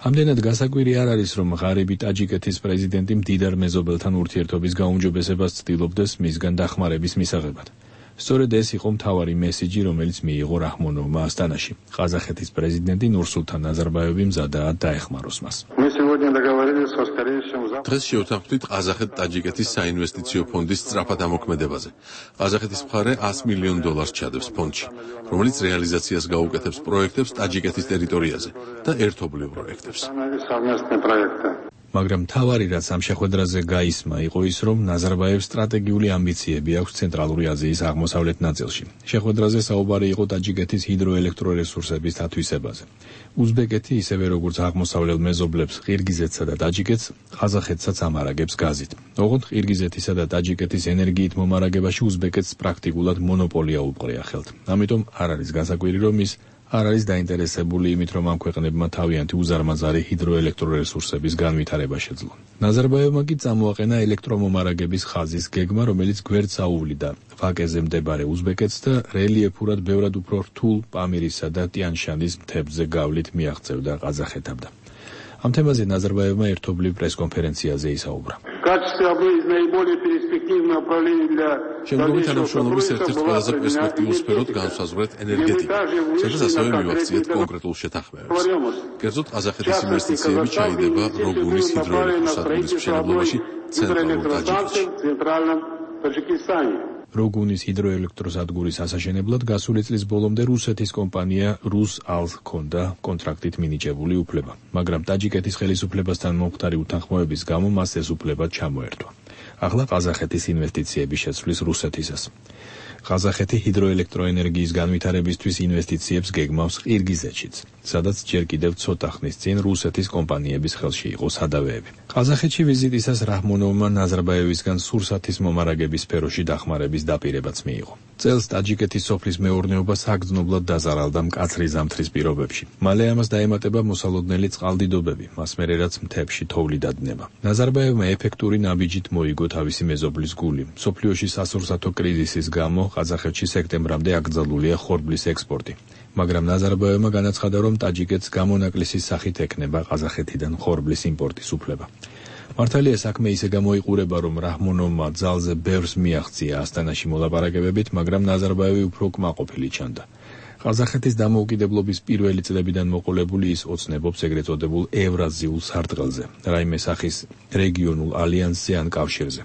ამდენად გასაკვირი არ არის, რომ ღარიბი ტაჯიკეთის პრეზიდენტი მდიდარ მეზობელთან ურთიერთობის გაუმჯობესებას ცდილობდეს მისგან დახმარების მისაღებად. სწორედ ეს იყო მთავარი მესიჯი, რომელიც მიიღო რაჰმონოვმა ასტანაში. ყაზახეთის პრეზიდენტი ნურსულთან ნაზარბაევი მზადაა დაეხმაროს მას. დღეს შევთანხმდით ყაზახეთ-ტაჯიკეთის საინვესტიციო ფონდის სწრაფად ამოქმედებაზე. ყაზახეთის მხარე $100 მილიონ ჩადებს ფონდში, რომელიც რეალიზაციას გაუკეთებს პროექტებს ტაჯიკეთის ტერიტორიაზე და ერთობლივ პროექტებს. მაგრამ მთავარი რაც ამ შეხვედრაზე გაისმა იყო ის, რომ ნაზარბაევს სტრატეგიული ამბიციები აქვს ცენტრალური აზიის აღმოსავლეთ ნაწილში. შეხვედრაზე საუბარი იყო ტაჯიკეთის ჰიდროელექტრორესურსების დათვისებაზე. უზბეკეთი ისევე როგორც აღმოსავლელ მეზობლებს ყირგიზეთსა და ტაჯიკეთს, ყაზახეთსაც ამარაგებს გაზით. ოღონდ ყირგიზეთისა და ტაჯიკეთის ენერგიით მომარაგებაში უზბეკეთს პრაქტიკულად მონოპოლია უპყრია ხელთ. ამიტომ არ არის გასაკვირი, რომ ის არ არის დაინტერესებული იმით, რომ ამ ქვეყნებმა თავიანთი უზარმაზარი ჰიდროელექტრორესურსების განვითარება შეძლონ. ნაზარბაევმა კი წამოაყენა ელექტრომომარაგების ხაზის გეგმა, რომელიც გვერდს აუვლიდა ვაკეზე მდებარე უზბეკეთს და რელიეფურად ბევრად უფრო რთულ პამირისა და ტიან-შანის მთებზე გავლით მიაღწევდა ყაზახეთამდე. ამ თემაზე ნაზარბაევმა ერთობლივ პრესკონფერენციაზე ისაუბრა. качестве одной из наиболее перспективных направлений для შემდგომი თანამშრომლობის ერთ-ერთ ყველაზე პერსპექტიულ სფეროდ განსაზღვრეთ ენერგეტიკა, სადაც ასევე მივახციეთ კონკრეტულ შეთანხმებებს. კერძოდ, ყაზახეთის ინვესტიციები ჩაიდება როგუნის ჰიდროელექტროსადგურის მშენებლობაში ცენტრალურ ტაჯიკეთში. როგუნის ჰიდროელექტროსადგურის ასაშენებლად გასული წლის ბოლომდე რუსეთის კომპანია RusAl ჰქონდა კონტრაქტით მინიჭებული უფლება, მაგრამ ტაჯიკეთის ხელისუფლებასთან მომხდარი უთანხმოების გამო მას ეს უფლება ჩამოერთვა. ახლა ყაზახეთის ინვესტიციების შეცვლის რუსეთისას. ყაზახეთი ჰიდროელექტროენერგიის განვითარებისთვის ინვესტიციებს გეგმავს ყირგიზეთშიც, სადაც ჯერ კიდევ ცოტა ხნის წინ რუსეთის კომპანიების ხელში იყო სადავეები. ყაზახეთში ვიზიტისას რაჰმონოვმა ნაზარბაევისგან სურსათის მომარაგების სფეროში დახმარების დაპირებაც მიიღო. წელს ტაჯიკეთის სოფლის მეურნეობა საგრძნობლად დაზარალდა მკაცრი ზამთრის პირობებში. მალე ამას დაემატება მოსალოდნელი წყალდიდობები, მას მერე რაც მთებში თოვლი დადნება. ნაზარბაევმა ეფექტური ნაბიჯით მოიგო თავისი მეზობლის გული. მსოფლიოში სასურსათო კრიზისის გამო ყაზახეთში სექტემბრამდე აკრძალულია ხორბლის ექსპორტი. მაგრამ ნაზარბაევმა განაცხადა, რომ ტაჯიკეთს გამონაკლისის სახით ექნება ყაზახეთიდან ხორბლის იმპორტის უფლება. მართალია საქმე ისე გამოიყურება, რომ რაჰმონოვმა ძალზე ბევრს მიაღწია ასტანაში მოლაპარაკებებით, მაგრამ ნაზარბაევი უფრო კმაყოფილი ჩანდა. ყაზახეთის დამოუკიდებლობის პირველი წლებიდან მოყოლებული ის ოცნებობს ეგრეთ წოდებულ ევრაზიულ სარტყელზე, რაიმე სახის რეგიონულ ალიანსზე ან კავშირზე.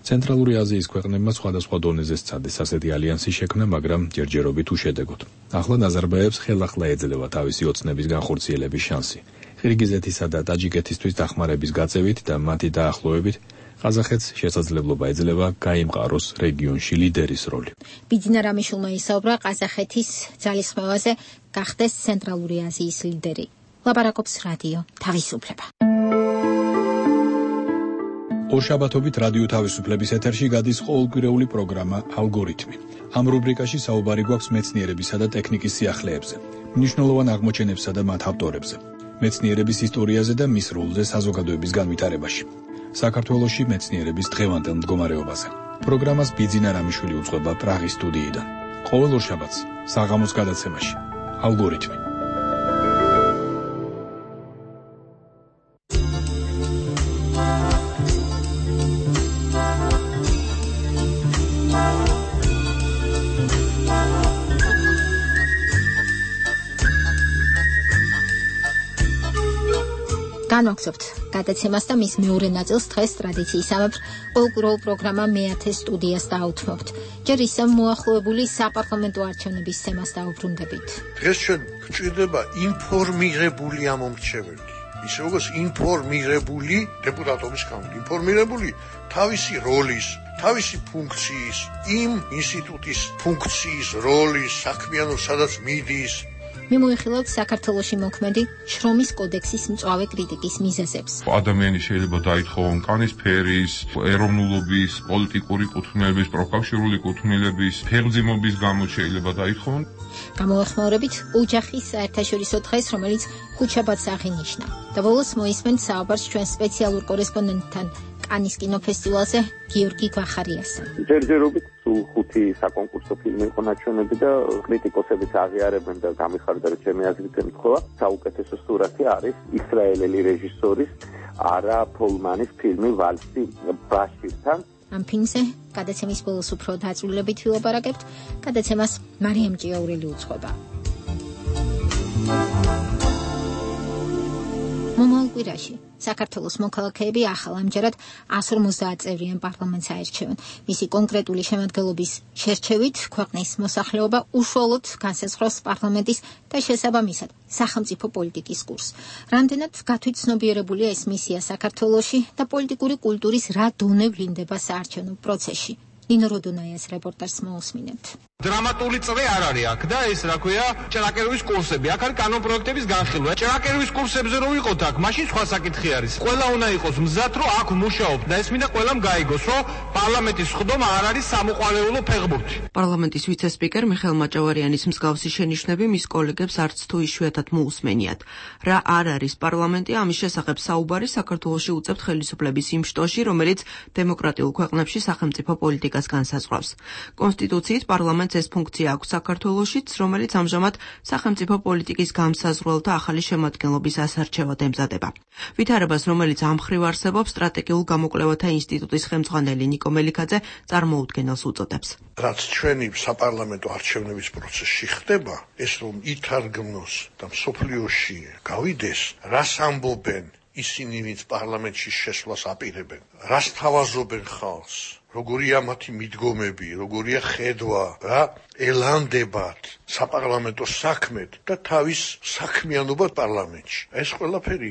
ცენტრალური აზიის ქვეყნებმა სხვადასხვა დონეზე სცადეს ასეთი ალიანსის შექმნა, მაგრამ ჯერჯერობით უშედეგოდ. ახლა ნაზარბაევს ხელახლა ეძლევა თავისი ოცნების განხორციელების შანსი. ყირგიზეთისა და ტაჯიკეთისთვის დახმარების გაწევით და მათი დაახლოებით ყაზახეთს შესაძლებლობა ეძლევა გაიმყაროს რეგიონში ლიდერის როლი. ბიძინა რამიშულმა ისაუბრა ყაზახეთის ძალისხმევაზე გახდეს ცენტრალური აზიის ლიდერი. ლაპარაკობს რადიო თავისუფლება. ორშაბათობით რადიო თავისუფლების ეთერში გადის ყოველკვირეული პროგრამა ალგორითმი. ამ რუბრიკაში საუბარი გვაქვს მეცნიერებისა და ტექნიკის სიახლეებზე, მნიშვნელოვან აღმოჩენებსა და მათ ავტორებზე, მეცნიერების ისტორიაზე და მის როლზე საზოგადოების განვითარებაში. საქართველოში მეცნიერების დღევანდელ მდგომარეობაზე. პროგრამას ბიძინა რამიშვილი უძღვება პრაღის სტუდიიდან. ყოველ ორშაბათს საღამოს გადაცემაში ალგორითმი. განვაგრძობთ გადაცემას და მის მეორე ნაწილს დღეს ტრადიციისამებრ ყოველკვირეულ პროგრამა მეათე სტუდიას დაუთმობთ. ჯერ ისევ მოახლოებული საპარლამენტო არჩევნების თემას დაუბრუნდებით. დღეს ჩვენ გვჭირდება ინფორმირებული ამომრჩეველი, ისე როგორც ინფორმირებული დეპუტატობის გამო, ინფორმირებული თავისი როლის, თავისი ფუნქციის, იმ ინსტიტუტის ფუნქციის, როლის, საქმიანობის, სადაც მიდის. მიმოიხილავთ საქართველოში მოქმედი შრომის კოდექსის მწვავე კრიტიკის მიზეზებს. ადამიანი შეიძლება დაითხოვონ კანის ფერის, ეროვნულობის, პოლიტიკური კუთვნილების, პროფესიული კუთვნილების, ფერმძიმობის გამო შეიძლება დაითხოვონ. გამოეხმაურებით ოჯახის საერთაშორისო დღეს, რომელიც ხუთშაბათს აღინიშნა. და ბოლოს მოისმენთ საუბარს ჩვენ სპეციალურ კორესპონდენტთან კანის კინოფესტივალზე გიორგი გვახარიასთან. ჯერჯერობით სულ 5 საკონკურსო ფილმი იყო ნაჩვენები და კრიტიკოსებიც აღიარებენ და გამიხარდა, რომ ჩემი აზრით ემთხვევა საუკეთესო სურათი არის ისრაელელი რეჟისორის არა ფოლმანის ფილმი ვალსი ბაშირთან. ამ ფილმზე გადაცემის ბოლოს უფრო დაწვრილებით ვილაპარაკებთ. გადაცემას მარიამ ჭიაურელი უძღვება. მომავალ კვირაში საქართველოს მოქალაქეები ახალ ამჯერად 150 წევრიან პარლამენტს აერჩევენ. მისი კონკრეტული შემადგენლობის შერჩევით ქვეყნის მოსახლეობა უშუალოდ განსაზღვრავს პარლამენტის და შესაბამისად სახელმწიფო პოლიტიკის კურსს. რამდენად გათვითცნობიერებულია ეს მისია საქართველოში და პოლიტიკური კულტურის რა დონე ვლინდება საარჩევნო პროცესში. ნინო როდონაიას რეპორტაჟს მოусმინებთ. დრამატული წრე არ არის აქ და ეს რა ქვია ჭრაკეროვის კურსები. აქ არის კანონპროექტების განხილვა. ჭრაკეროვის კურსებზე რო ვიყოთ აქ, მაშინ სხვა საკითხი არის. ყველა უნდა იყოს მზად, რომ აქ მუშაობ და ეს მინდა ყველამ გაიგოს, რომ პარლამენტის სხდომა არ არის სამოყვარეულო ფეხბურთი. პარლამენტის ვიცე-სპიკერ მიხეილ მაჭავარიანის მსგავსი შენიშვნები მის კოლეგებს არც თუ იშვიათად მოусმენიათ. რა არ არის პარლამენტი, ამის შესახებ საუბარი საქართველოში უწევთ ხელისუფლების იმ შტოში, რომელიც დემოკრატიულ ქვეყნებში სახელმწიფო პოლიტიკას განსაზღვრავს. კონსტიტუციით პარლამენტს არჩევანს ეს ფუნქცია აქვს საქართველოშიც, რომელიც ამჟამად სახელმწიფო პოლიტიკის გამსაზღვრელთა ახალი შემადგენლობის ასარჩევად ემზადება. ვითარებას, რომელიც ამ მხრივ არსებობს, სტრატეგიულ გამოკვლევათა ინსტიტუტის ხელმძღვანელი ნიკო მელიქაძე წარმოუდგენელს უწოდებს. რაც ჩვენი საპარლამენტო არჩევნების პროცესში ხდება, ეს რომ ითარგმნოს და მსოფლიოში გავიდეს, რას ამბობენ ისინი, ვინც პარლამენტში შესვლას აპირებენ, რას თავაზობენ ხალხს, როგორია მათი მიდგომები, როგორია ხედვა, რა ელანდებათ საპარლამენტო საქმედ და თავის საქმიანობა პარლამენტში. ეს ყველაფერი,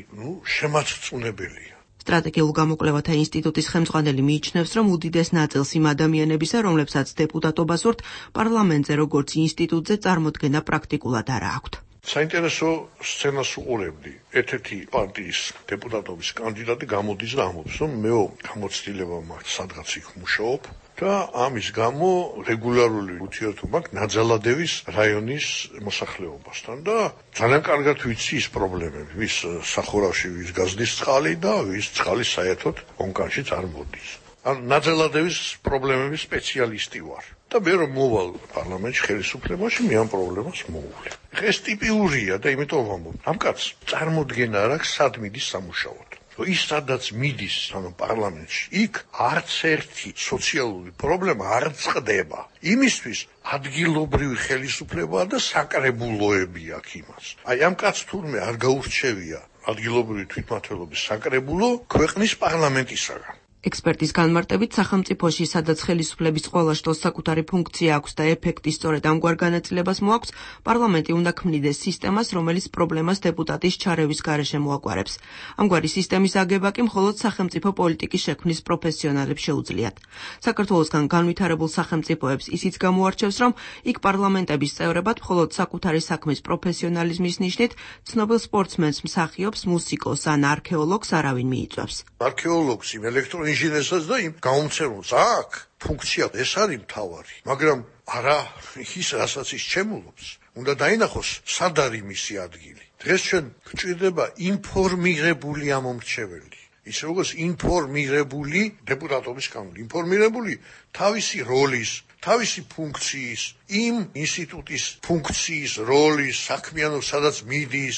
შემაწწუნებელია. სტრატეგიულ გამოკვლევათა ინსტიტუტის ხელმძღვანელი მიიჩნევს, რომ უდიდეს ნაწილს იმ ადამიანებისა, რომლებსაც დეპუტატობა სურთ, პარლამენტზე როგორც ინსტიტუტზე წარმოდგენა პრაქტიკულად არა აქვთ. საინტერესო სცენას უყურებდი. ერთ-ერთი პარტიის დეპუტატობის კანდიდატი გამოდის და ამბობს, რომ მეო გამოცდილება მაქვს სადღაც იქ მუშაობ და ამის გამო რეგულარული ურთიერთობა მაქვს ნაძალადევის რაიონის მოსახლეობასთან და ძალიან კარგად ვიცი ის პრობლემები, ვის სახურავში ვის გაზდის წყალი და ვის წყალი საერთოდ კონკანშიც არ მოდის. ნაძალადევის პრობლემების სპეციალისტი ვარ. და მე რომ მოვალ პარლამენტში ხელისუფლებაში, მე ამ პრობლემას მოვუვლი. ეს ტიპიურია და იმიტომ ვამბობ, ამ კაცს წარმოდგენა არ აქვს, სად მიდის სამუშაოდ. ის სადაც მიდის, პარლამენტში, იქ არც ერთი სოციალური პრობლემა არ წყდება. იმისთვის ადგილობრივი ხელისუფლებაა და საკრებულოები აქვს იმას. ამ კაცს თურმე არ გაურჩევია ადგილობრივი თვითმმართველობის საკრებულო ქვეყნის პარლამენტისაგან. ექსპერტის განმარტებით, სახელმწიფოში, სადაც ხელისუფლების ყველა შტოს საკუთარი ფუნქცია აქვს და ეფექტი სწორედ ამგვარ განაწილებას მოაქვს, პარლამენტი უნდა ქმნიდეს სისტემას, რომელიც პრობლემას დეპუტატის ჩარევის გარეშე მოაგვარებს. ამგვარი სისტემის აგება კი მხოლოდ სახელმწიფო პოლიტიკის შექმნის პროფესიონალებს შეუძლიათ. საქართველოსგან განვითარებულ სახელმწიფოებს ისიც გამოარჩევს, რომ იქ პარლამენტების წევრებად მხოლოდ საკუთარი საქმის პროფესიონალიზმის ნიშნით ცნობილ სპორტსმენს, მსახიობს, მუსიკოს ან არქეოლოგს არავინ მიიწვევს. არქეოლოგს იმ ინჟინერსაც და იმ გაუმცემლს აქვს ფუნქცია, ეს არის მთავარი, მაგრამ არა ის, რასაც ის ჩემულობს. უნდა დაინახოს, სად არის მისი ადგილი. დღეს ჩვენ გვჭირდება ინფორმირებული ამომრჩეველი. ისე როგორც ინფორმირებული დეპუტატობის კანონი, ინფორმირებული თავისი როლის, თავისი ფუნქციის, იმ ინსტიტუტის ფუნქციის, როლის, საქმიანობის, სადაც მიდის.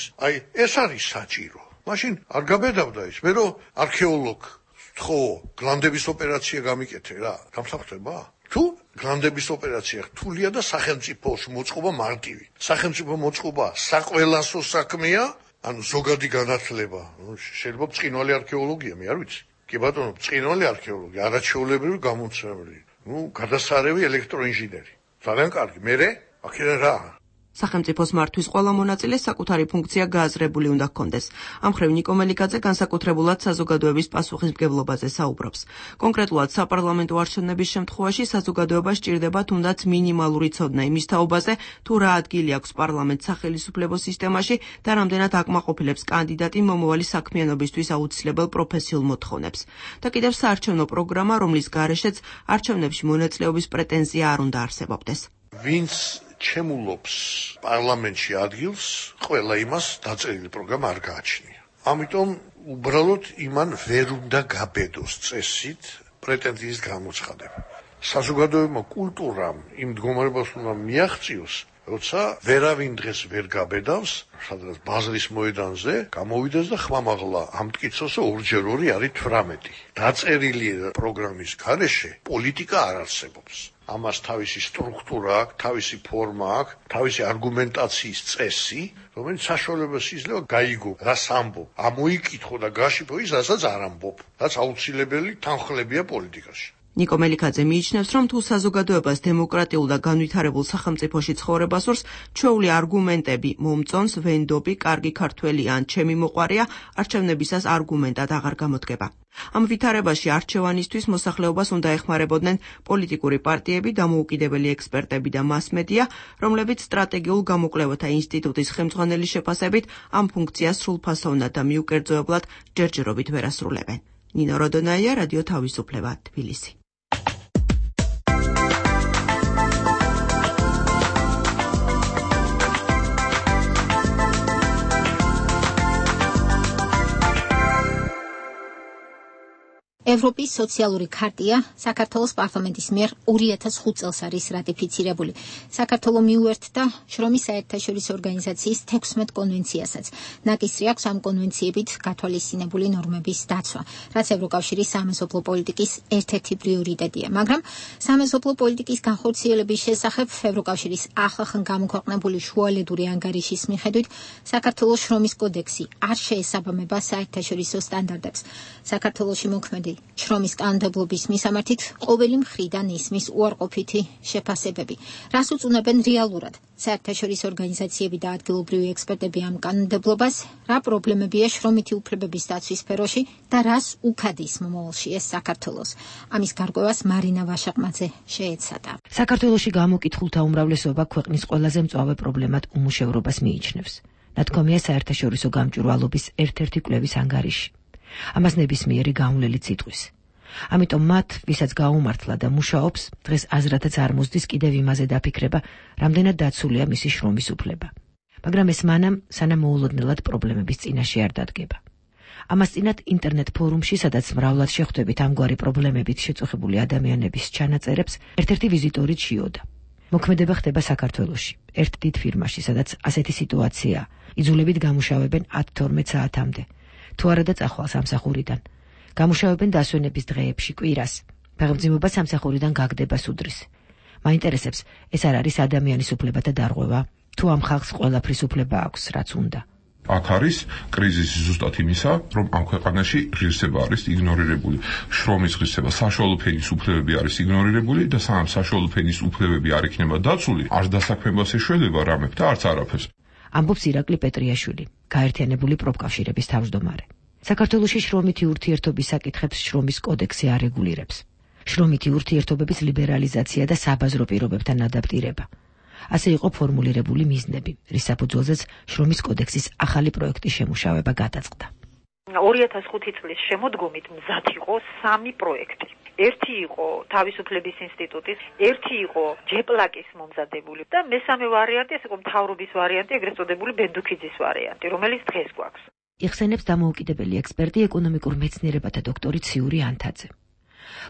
ეს არის საჭირო. მაშინ არ გაბედავდა ის, მე რომ არქეოლოგ ხო, გლანდების ოპერაცია გამიკეთე რა, გამსახურება? თუ გლანდების ოპერაცია რთულია და სახელმწიფოს მოწყობა მარტივი. სახელმწიფო მოწყობა საყველასო საქმეა, ანუ ზოგადი განათლება. შეიძლება ბრწყინვალე არქეოლოგია, მე არ ვიცი. კი ბატონო, ბრწყინვალე არქეოლოგია, არაჩვეულებრივი გამომცემელი. გადასარევი ელექტროინჟინერი. ძალიან კარგი. მერე, აქედან რა? სახელმწიფოს მართვის ყველა მონაწილეს საკუთარი ფუნქცია გააზრებული უნდა ჰქონდეს. ამ მხრივ ნიკო მელიქაძე განსაკუთრებულად საზოგადოების პასუხისმგებლობაზე საუბრობს. კონკრეტულად საპარლამენტო არჩევნების შემთხვევაში საზოგადოებას სჭირდება თუნდაც მინიმალური ცოდნა იმის თაობაზე, თუ რა ადგილი აქვს პარლამენტს სახელისუფლებო სისტემაში და რამდენად აკმაყოფილებს კანდიდატი მომავალი საქმიანობისთვის აუცილებელ პროფესიულ მოთხოვნებს. და კიდევ საარჩევნო პროგრამა, რომლის გარეშეც არჩევნებში მონაწილეობის პრეტენზია არ უნდა არსებობდეს. ვინც ჩემულობს პარლამენტში ადგილს, ყველა იმას დაწერილი პროგრამა არ გააჩნია. ამიტომ უბრალოდ იმან ვერ უნდა გაბედოს წესით პრეტენზიის გამოცხადება. საზოგადოებრივმა კულტურამ იმ მდგომარეობას უნდა მიაღწიოს, როცა ვერავინ დღეს ვერ გაბედავს, სადღაც ბაზრის მოედანზე გამოვიდეს და ხმამაღლა ამტკიცოს, რომ 2x2 არის 18. დაწერილი პროგრამის გარეშე პოლიტიკა არ არსებობს. ამას თავისი სტრუქტურა აქვს, თავისი ფორმა აქვს, თავისი არგუმენტაციის წესი, რომელიც საშუალებას იძლევა გაიგო, რას ამბობ, ამოიკითხო და გაშიფო ის, რასაც არ ამბობ, რაც აუცილებელი თანხლებია პოლიტიკაში. ნიკო მელიქაძე მიიჩნევს, რომ თუ საზოგადოებას დემოკრატიულ და განვითარებულ სახელმწიფოში ცხოვრება სურს, ჩვეული არგუმენტები მომწონს, ვენდობი, კარგი ქართველი ან ჩემი მოყვარია, არჩევნებისას არგუმენტად აღარ გამოდგება. ამ ვითარებაში არჩევანისთვის მოსახლეობას უნდა ეხმარებოდნენ პოლიტიკური პარტიები, დამოუკიდებელი ექსპერტები და მასმედია, რომლებიც სტრატეგიულ გამოკვლევათა ინსტიტუტის ხელმძღვანელის შეფასებით ამ ფუნქციას სრულფასოვნად და მიუკერძოებლად ჯერჯერობით ვერ ასრულებენ. ნინო როდონაია, რადიო თავისუფლება, თბილისი. ევროპის სოციალური ქარტია საქართველოს პარლამენტის მიერ 2005 წელს არის რატიფიცირებული. საქართველო მიუერთდა შრომის საერთაშორისო ორგანიზაციის 16 კონვენციასაც. ნაკისრი აქვს ამ კონვენციებით გათვალისწინებული ნორმების დაცვა, რაც ევროკავშირის სამეზობლო პოლიტიკის ერთ-ერთი პრიორიტეტია. მაგრამ სამეზობლო პოლიტიკის განხორციელების შესახებ ევროკავშირის ახლახან გამოქვეყნებული შუალედური ანგარიშის მიხედვით საქართველოს შრომის კოდექსი არ შეესაბამება საერთაშორისო სტანდარტებს. საქართველოში მოქმედი შრომის კანონმდებლობის მისამართით ყოველი მხრიდან ისმის უარყოფითი შეფასებები, რას უწუნებენ რეალურად საერთაშორისო ორგანიზაციები და ადგილობრივი ექსპერტები ამ კანონმდებლობას, რა პრობლემებია შრომითი უფლებების დაცვის სფეროში და რას უქადის მომავალში ეს საქართველოს. ამის გარკვევას მარინა ვაშაყმაძე შეეცადა. საქართველოში გამოკითხულთა უმრავლესობა ქვეყნის ყველაზე მწვავე პრობლემად უმუშევრობას მიიჩნევს. ნათქვამია საერთაშორისო გამჭვირვალობის ერთ-ერთი კვლევის ანგარიში. ამას ნებისმიერი გავლენით იტყვის. ამიტომ მათ, ვისაც გაუმართლა და მუშაობს, დღეს აზრათაც არ მოსდის კიდევ იმაზე დაფიქრება, რამდენად დაცულია მისი შრომის უფლება. მაგრამ ეს მანამ, სანამ მოულოდნელად პრობლემების წინაშე არ დადგება. ამას წინათ ინტერნეტ ფორუმში, სადაც მრავლად შეხვდებით ამგვარი პრობლემებით შეწუხებული ადამიანების ჩანაწერებს, ერთ-ერთი ვიზიტორი ჩიოდა. მოქმედება ხდება საქართველოში, ერთ დიდ ფირმაში, სადაც ასეთი სიტუაციაა. იძულებით გამუშავებენ 10-12 საათამდე. თუ არა და წახვალ სამსახურიდან. გამუშავებენ დასვენების დღეებში კვირას. ფეხმძიმობა სამსახურიდან გაგდებას უდრის. მაინტერესებს, ეს არ არის ადამიანის უფლებათა დარღვევა, თუ ამ ხალხს ყველაფრის უფლება აქვს, რაც უნდა. აქ არის კრიზისი ზუსტად იმისა, რომ ამ ქვეყანაში ღირსება არის იგნორირებული. შრომის ღირსება, საშუალო ფენის უფლებები არის იგნორირებული და სანამ საშუალო ფენის უფლებები არ იქნება დაცული, არ დასაქმებას ეშველება რამე და არც არაფერს. ამბობს ირაკლი პეტრიაშვილი, გაერთიანებული პროფკავშირების თავმჯდომარე. საქართველოში შრომითი ურთიერთობის საკითხებს შრომის კოდექსი არეგულირებს. შრომითი ურთიერთობების ლიბერალიზაცია და საბაზრო პირობებთან ადაპტირება. ასე იყო ფორმულირებული მიზნები, რის საფუძველზეც შრომის კოდექსის ახალი პროექტის შემუშავება გადაწყდა. 2005 წლის შემოდგომით მზად იყო 3 პროექტი. ერთი იყო თავისუფლების ინსტიტუტის, ერთი იყო ჯეპლაკის მომზადებული და მესამე ვარიანტი ეს იყო მთავრობის ვარიანტი, ეგრეთ წოდებული ბენდუქიძის ვარიანტი, რომელიც დღეს გვაქვს. იხსენებს დამოუკიდებელი ექსპერტი ეკონომიკურ მეცნიერებათა დოქტორი ციური ანთაძე.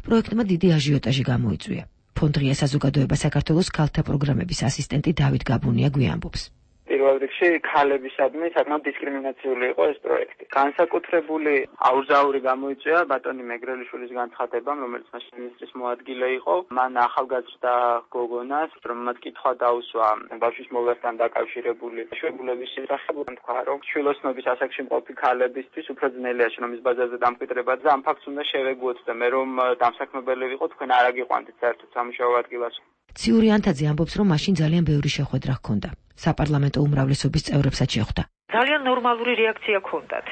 პროექტმა დიდი აჟიოტაჟი გამოიწვია. ფონდ ღია საზოგადოება საქართველოს ქალთა პროგრამების ასისტენტი დავით გაბუნია გვიამბობს. პირველ რიგში ქალებისადმი საკმაოდ დისკრიმინაციული იყო ეს პროექტი. განსაკუთრებული აურზაური გამოიწვია ბატონი მეგრელიშვილის განცხადებამ, რომელიც მაშინ მინისტრის მოადგილე იყო. მან ახალგაზრდა გოგონას, რომელმაც კითხვა დაუსვა ბავშვის მოვლასთან დაკავშირებული შვებულების შესახებ, თქვა, რომ შვილოსნობის ასაკში მყოფი ქალებისთვის უფრო ძნელია შრომის ბაზარზე დამკვიდრება და ამ ფაქტს უნდა შევეგუოთ და მე რომ დამსაქმებელი ვიყო, თქვენ არ აგიყვანთ საერთოდ სამუშაო ადგილას. ციური ანთაძე ამბობს, რომ მაშინ ძალიან ბევრი შეხვედრა ჰქონდა. საპარლამენტო უმრავლესობის წევრებსაც შეხვდა. ძალიან ნორმალური რეაქცია ჰქონდათ.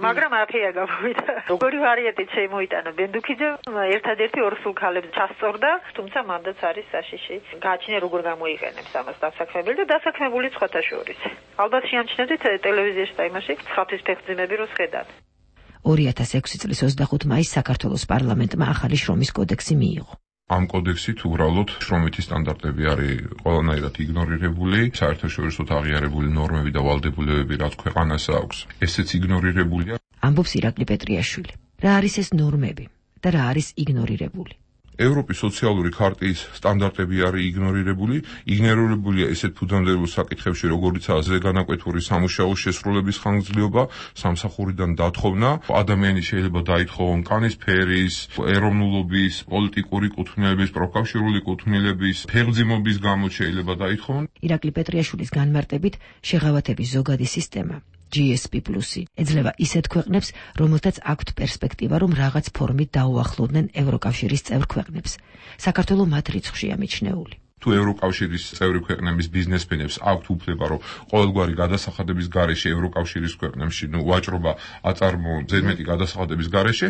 მაგრამ არაფერი არ გამოვიდა. როგორი ვარიანტით შემოიტანა ბენდუქიძე, ერთადერთი ორ სულ ქალებს ჩასწორდა, თუმცა მანდაც არის საშიში. გააჩნია როგორ გამოიყენებს ამას დასაქმებელი და დასაქმებული სხვათა შორის. ალბათ შეამჩნევთ ტელევიზიაში და იმაში ხალხის ფეხმძიმები რო შედათ. 2006 წლის 25 მაისს საქართველოს პარლამენტმა ახალი შრომის კოდექსი მიიღო. ამ კოდექსით უბრალოდ შრომითი სტანდარტები არის ყველანაირად იგნორირებული, საერთაშორისოდ აღიარებული ნორმები და ვალდებულებები, რაც ქვეყანას აქვს, ესეც იგნორირებულია. ამბობს ირაკლი პეტრიაშვილი. რა არის ეს ნორმები და რა არის იგნორირებული? ევროპის სოციალური ქარტიის სტანდარტები არის იგნორირებულია ესეთ ფუნდამენტურ საკითხებში, როგორიცაა ზეგანაკვეთური სამუშაო შესრულების ხანგრძლივობა, სამსახურიდან დათხოვნა, ადამიანი შეიძლება დაითხოვონ კანის ფერის, ეროვნულობის, პოლიტიკური კუთვნილების, პროფკავშირული კუთვნილების, ფეხმძიმობის გამო შეიძლება დაითხოვონ. ირაკლი პეტრიაშვილის განმარტებით, შეღავათების ზოგადი სისტემა GSP+ ეძლევა ისეთ ქვეყნებს, რომელთაც აქვთ პერსპექტივა, რომ რაღაც ფორმით დაუახლოვდნენ ევროკავშირის წევრ ქვეყნებს. საქართველოს მათ რიცხვშია მიჩნეული. თუ ევროკავშირის წევრი ქვეყნების ბიზნესმენებს აქვთ უფლება, რომ ყოველგვარი გადასახადების გარეშე ევროკავშირის ქვეყნებში, ვაჭრობა აწარმოონ ზედმეტი გადასახადების გარეშე,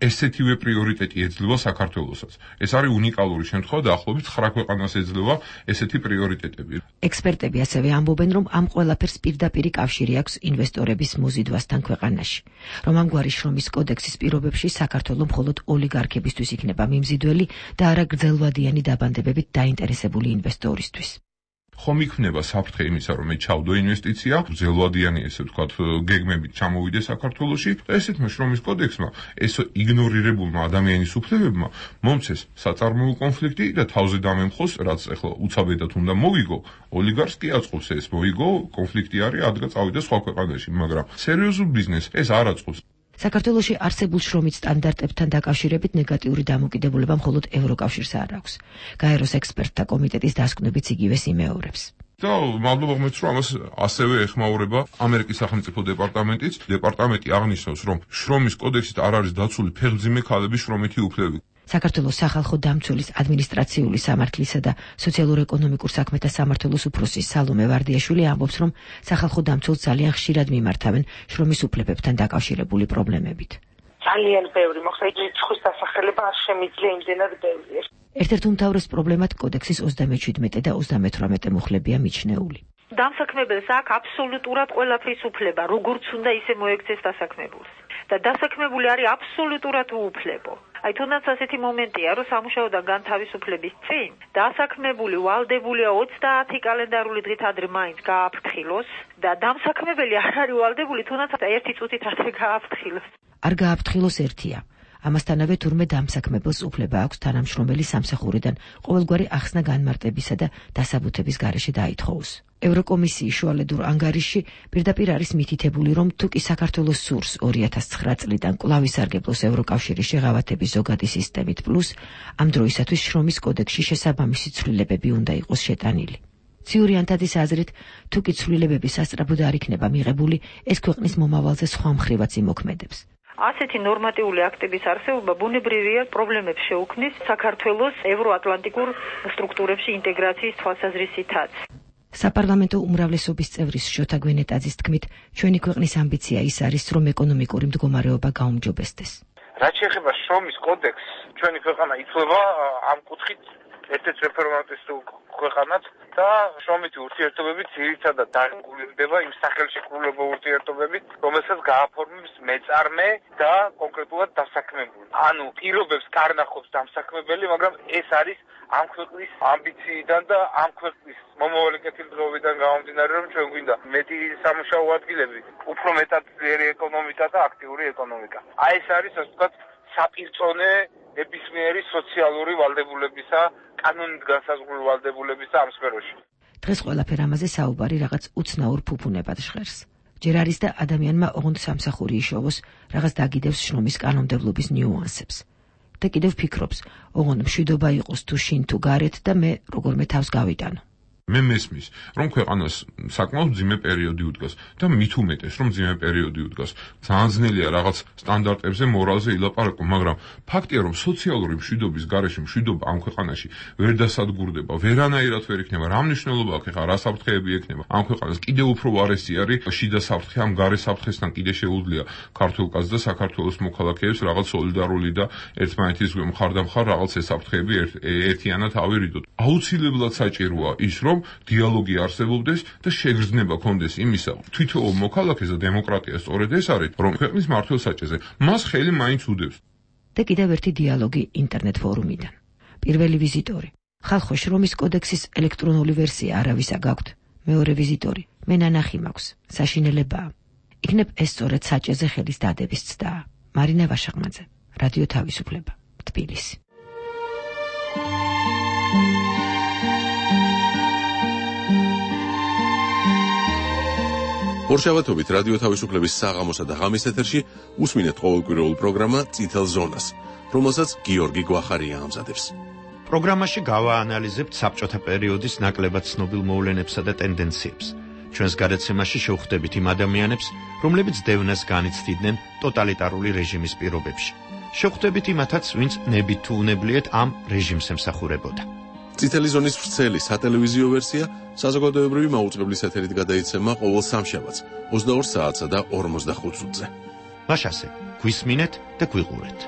ესეთივე პრიორიტეტი ეძლევა საქართველოსაც. ეს არის უნიკალური შემთხვევა და ახლობით 9 ქვეყანას ეძლევა ესეთი პრიორიტეტები. ექსპერტები ასევე ამბობენ, რომ ამ ყველაფერს პირდაპირი კავშირი აქვს ინვესტორების მოზიდვასთან ქვეყანაში, რომ ამგვარი შრომის კოდექსის პირობებში საქართველოს მხოლოდ ოლიგარქებისთვის იქნება მიმზიდველი და არა გრძელვადიანი დაბანდებებით დაინტერესებული ინვესტორისთვის. ხომ იქნება საფრთხე იმისა, რომ მე ჩავდო ინვესტიცია, ძელვადიანი ესე ვთქვათ, გეგმებით ჩამოვიდე საქართველოში და ესეთმა შრომის კოდექსმა, ეს იგნორირებულმა ადამიანის უფლებებმა მომცეს საწარმოო კონფლიქტი და თავზე დამემხოს, რაც ახლა უცაბედად უნდა მოვიგო, ოლიგარქს კი აწყობს ეს მოიგო, კონფლიქტი არის, ადგა წავიდა სხვა ქვეყანაში, მაგრამ სერიოზულ ბიზნესს ეს არ აწყობს. საქართველოში არსებულ შრომით სტანდარტებთან დაკავშირებით ნეგატიური დამოკიდებულება მხოლოდ ევროკავშირს არ აქვს. გაეროს ექსპერტთა კომიტეტის დასკვნებიც იგივეს იმეორებს. და მადლობა ღმერთს, რომ ამას ასევე ეხმაურება ამერიკის სახელმწიფო დეპარტამენტიც. დეპარტამენტი აღნიშნავს, რომ შრომის კოდექსით არ არის დაცული ფეხმძიმე ქალების შრომითი უფლებები. საქართველოს სახალხო დამცველის ადმინისტრაციული სამართლისა და სოციალურ-ეკონომიკურ საქმეთა სამმართველოს უფროსი სალომე ვარდიაშვილი ამბობს, რომ სახალხო დამცველს ძალიან ხშირად მიმართავენ შრომის უფლებებთან დაკავშირებული პრობლემებით. ძალიან ბევრი, მოხდა რიცხვის დასახელება არ შემიძლია იმდენად ბევრი. ერთ-ერთ უმთავრეს პრობლემად კოდექსის 37 და 38 მუხლებია მიჩნეული. დამსაქმებელს აქვს აბსოლუტურად ყველაფრის უფლება, როგორც უნდა ისე მოექცეს დასაქმებულს. და დასაქმებული არის აბსოლუტურად უუფლებო. აი თუნდაც ასეთი მომენტია, რომ სამუშაოდან განთავისუფლების წინ დასაქმებული ვალდებულია 30 კალენდარული დღით ადრე მაინც გააფრთხილოს და დამსაქმებელი არ არის ვალდებული თუნდაც 1 წუთით ადრე გააფრთხილოს. არ გააფრთხილოს ერთია. ამასთანავე თურმე დამსაქმებელს უფლება აქვს თანამშრომელი სამსახურიდან ყოველგვარი ახსნა განმარტებისა და დასაბუთების გარეშე დაითხოვოს. ევროკომისიის შუალედურ ანგარიშში პირდაპირ არის მითითებული, რომ თუ კი საქართველოს სურს 2009 წლიდან კვლავ ისარგებლოს ევროკავშირის შეღავათების ზოგადი სისტემით პლუს, ამ დროისათვის შრომის კოდექსში შესაბამისი ცვლილებები უნდა იყოს შეტანილი. ციური ანთაძის აზრით, თუ კი ცვლილებები სასწრაფოდ არ იქნება მიღებული, ეს ქვეყნის მომავალზე სხვა მხრივაც იმოქმედებს. ასეთი ნორმატიული აქტების არსებობა ბუნებრივია პრობლემებს შეუქმნის საქართველოს ევროატლანტიკურ სტრუქტურებში ინტეგრაციის თვალსაზრისითაც. საპარლამენტო უმრავლესობის წევრის შოთა გვენეტაძის თქმით, ჩვენი ქვეყნის ამბიცია ის არის, რომ ეკონომიკური მდგომარეობა გაუმჯობესდეს. რაც შეეხება შრომის კოდექსს, ჩვენი ქვეყანა ითვლება ამ კუთხით ერთ-ერთ რეფორმატისტულ ქვეყანად და შრომითი ურთიერთობები ძირითადად დარეგულირდება იმ სახელშეკრულებო ურთიერთობებით, რომელსაც გააფორმებს მეწარმე და კონკრეტულად დასაქმებული. ანუ პირობებს კარნახობს დამსაქმებელი, მაგრამ ეს არის ამ ქვეყნის ამბიციიდან და ამ ქვეყნის მომავალი კეთილდღეობიდან გამომდინარე, რომ ჩვენ გვინდა მეტი სამუშაო ადგილები, უფრო მეტად ძლიერი ეკონომიკა და აქტიური ეკონომიკა. აი ეს არის, ასე ვთქვათ, საპირწონე ნებისმიერი სოციალური ვალდებულებისა, კანონით განსაზღვრული ვალდებულებისა ამ სფეროში. დღეს ყველაფერ ამაზე საუბარი რაღაც უცნაურ ფუფუნებად ჟღერს. ჯერ არის და ადამიანმა ოღონდ სამსახური იშოვოს, რაღაც დაგიდევს შრომის კანონმდებლობის ნიუანსებს. და კიდევ ფიქრობს, ოღონდ მშვიდობა იყოს თუ შინ თუ გარეთ და მე როგორმე თავს გავიტანო. მე მესმის, რომ ქვეყანას საკმაოდ მძიმე პერიოდი უდგას და მით უმეტეს, რომ მძიმე პერიოდი უდგას. ძალიან ძნელია რაღაც სტანდარტებზე, მორალზე ილაპარაკო, მაგრამ ფაქტია, რომ სოციალური მშვიდობის გარეშე მშვიდობა ამ ქვეყანაში ვერ დასადგურდება, ვერანაირად ვერ იქნება. რა მნიშვნელობა აქვს ახლა, რა საფრთხეები ექნება? ამ ქვეყანას კიდევ უფრო ვარესი არის შიდა საფრთხე, ამ გარე საფრთხესთან კიდე შეუძლია ქართულ კაცს და საქართველოს მოქალაქეებს რაღაც სოლიდარული და ერთმანეთის მხარდამხარ რაღაც საფრთხეები ერთიანად ავირიდოთ. აუცილებლად საჭიროა ის, რომ დიალოგი არსებობდეს და შეგრძნება კონდეს იმისა, თვითოულ მოქალაქეს და დემოკრატია სწორედ ეს არის, რომ ქვეყნის მართლსაჭეზე მას ხელი მაინც უდევს. და კიდევ ერთი დიალოგი ინტერნეტ ფორუმიდან. პირველი ვიზიტორი. ხალხო შრომის კოდექსის ელექტრონული ვერსია არავისა გაქვთ. მეორე ვიზიტორი. მე ნანახი მაქვს. საშინელებაა. იქნებ ეს სწორედ საჭეზე ხელის დადების ცდაა. მარინა ვაშაღმაძე, რადიო თავისუფლება, თბილისი. ორშაბათობით რადიო თავისუფლების საღამოსა და ღამის ეთერში უსმინეთ ყოველკვირეულ პროგრამა წითელ ზონას, რომელსაც გიორგი გვახარია ამზადებს. პროგრამაში გავაანალიზებთ საბჭოთა პერიოდის ნაკლებად ცნობილ მოვლენებსა და ტენდენციებს. ჩვენს გადაცემაში შევხვდებით იმ ადამიანებს, რომლებიც დევნას განიცდიდნენ ტოტალიტარული რეჟიმის პირობებში. შევხვდებით იმათაც, ვინც ნებით თუ უნებლიეთ ამ რეჟიმს ემსახურებოდა. წითელი ზონის ვრცელი სატელევიზიო ვერსია საზოგადოებრივი მაუწყებლის ეთერით გადაიცემა ყოველ სამშაბათს 22 საათსა და 45 წუთზე. მაშასე, გვისმინეთ და გვიყურეთ.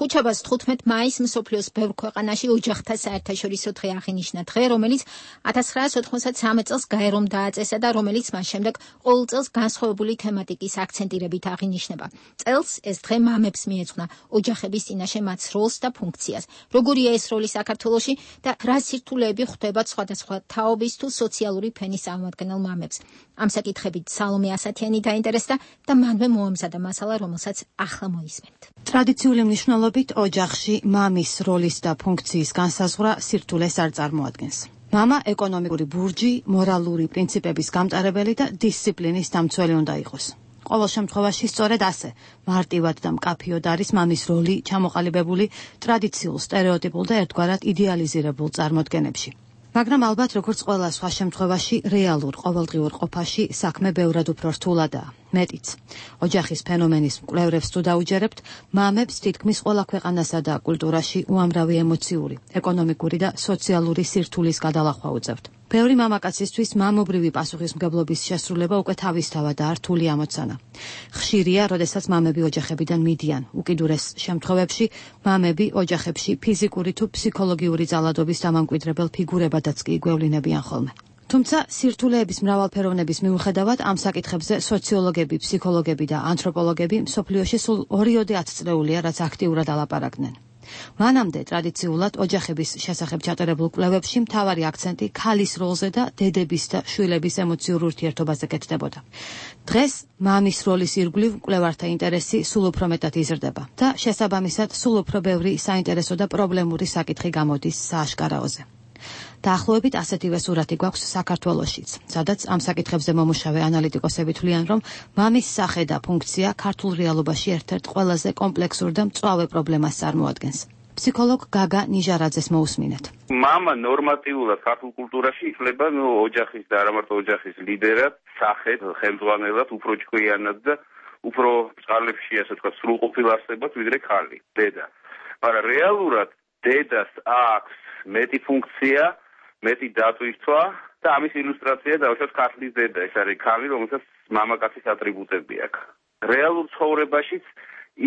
ხუთშაბათს 15 მაისს მსოფლიოს ბევრ ქვეყანაში ოჯახთა საერთაშორისო დღე აღინიშნა, დღე, რომელიც 1993 წელს გაერომ დააწესა და რომელიც მას შემდეგ ყოველ წელს განსხვავებული თემატიკის აქცენტირებით აღინიშნება. წელს ეს დღე მამებს მიეძღვნა ოჯახების წინაშე მათ როლს და ფუნქციას. როგორია ეს როლი საქართველოში და რა სირთულეები ხვდებათ სხვადასხვა თაობის თუ სოციალური ფენის წარმომადგენელ მამებს. ამ საკითხებით სალომე ასათიანი დაინტერესდა და მანვე მოამზადა მასალა, რომელსაც ახლა მოისმენთ. ტრადიციული მნიშვნელობით ოჯახში მამის როლის და ფუნქციის განსაზღვრა სირთულეს არ წარმოადგენს. მამა ეკონომიკური ბურჯი, მორალური პრინციპების გამტარებელი და დისციპლინის დამცველი უნდა იყოს. ყოველ შემთხვევაში სწორედ ასე მარტივად და მკაფიოდ არის მამის როლი ჩამოყალიბებული ტრადიციულ, სტერეოტიპულ და ერთგვარად იდეალიზირებულ წარმოდგენებში. მაგრამ ალბათ როგორც ყველა სხვა შემთხვევაში რეალურ ყოველდღიურ ყოფაში საქმე ბევრად უფრო რთულადაა. მეტიც. ოჯახის ფენომენის მკვლევრებს თუ დაუჯერებთ, მამებს თითქმის ყველა ქვეყანასა და კულტურაში უამრავი ემოციური, ეკონომიკური და სოციალური სირთულის გადალახვა უწევთ. ბევრი მამაკაცისთვის მამობრივი პასუხისმგებლობის შესრულება უკვე თავისთავად რთული ამოცანა. ხშირია, როდესაც მამები ოჯახებიდან მიდიან. უკიდურეს შემთხვევებში მამები ოჯახებში ფიზიკური თუ ფსიქოლოგიური ძალადობის დამამკვიდრებელ ფიგურებადაც კი გვევლინებიან ხოლმე. თუმცა სირთულეების მრავალფეროვნების მიუხედავად ამ საკითხებზე სოციოლოგები, ფსიქოლოგები და ანთროპოლოგები მსოფლიოში სულ 2-10 წლეულია, რაც აქტიურად ალაპარაკდნენ. მანამდე ტრადიციულად ოჯახების შესახებ ჩატარებულ კვლევებში მთავარი აქცენტი ქალის როლზე და დედების და შვილების ემოციურ ურთიერთობაზე კეთდებოდა. დღეს მამის როლის ირგვლივ მკვლევართა ინტერესი სულ უფრო მეტად იზრდება და შესაბამისად სულ უფრო ბევრი საინტერესო და პრობლემური საკითხი გამოდის სააშკარაოზე. დაახლოებით ასეთივე სურათი გვაქვს საქართველოშიც, სადაც ამ საკითხებზე მომუშავე ანალიტიკოსები თვლიან, რომ მამის სახე და ფუნქცია ქართულ რეალობაში ერთ-ერთ ყველაზე კომპლექსურ და მწვავე პრობლემას წარმოადგენს. ფსიქოლოგ გაგა ნიჟარაძეს მოусმინეთ. მამა ნორმატიულად ქართულ კულტურაში ითვლება ოჯახის და არა მარტო ოჯახის ლიდერად, სახედ, ხელმძღვანელად, უფრო ჭკვიანად და უფრო წყარლებში, ასე ვთქვათ, სრულყოფილ არსებად, ვიდრე ქალი, დედა. მაგრამ რეალურად დედას აქვს მეტი ფუნქცია, მეტი დატვირთვა და ამის ილუსტრაცია დავუშვათ ქართლის დედა, ეს არის ქალი, რომელსაც მამაკაცის ატრიბუტები აქვს. რეალურ ცხოვრებაშიც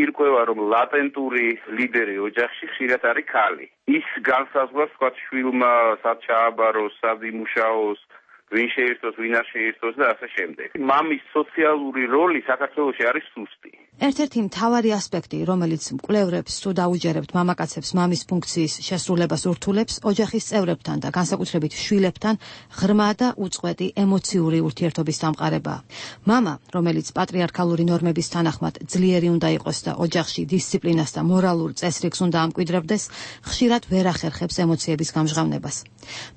ირკვევა, რომ ლატენტური ლიდერი ოჯახში ხშირად არის ქალი. ის განსაზღვრავს, თქვათ, შვილმა სად ჩააბაროს, სად იმუშაოს, ვინ შეირთოს, ვინ არ შეირთოს და ასე შემდეგ. მამის სოციალური როლი საქართველოში არის სუსტი. ერთ-ერთი მთავარი ასპექტი, რომელიც მკვლევრებს თუ დაუჯერებთ მამაკაცებს მამის ფუნქციის შესრულებას ურთულებს, ოჯახის წევრებთან და განსაკუთრებით შვილებთან ღრმა და უწყვეტი ემოციური ურთიერთობის დამყარებაა. მამა, რომელიც პატრიარქალური ნორმების თანახმად ძლიერი უნდა იყოს და ოჯახში დისციპლინას და მორალურ წესრიგს უნდა ამკვიდრებდეს, ხშირად ვერ ახერხებს ემოციების გამჟღავნებას.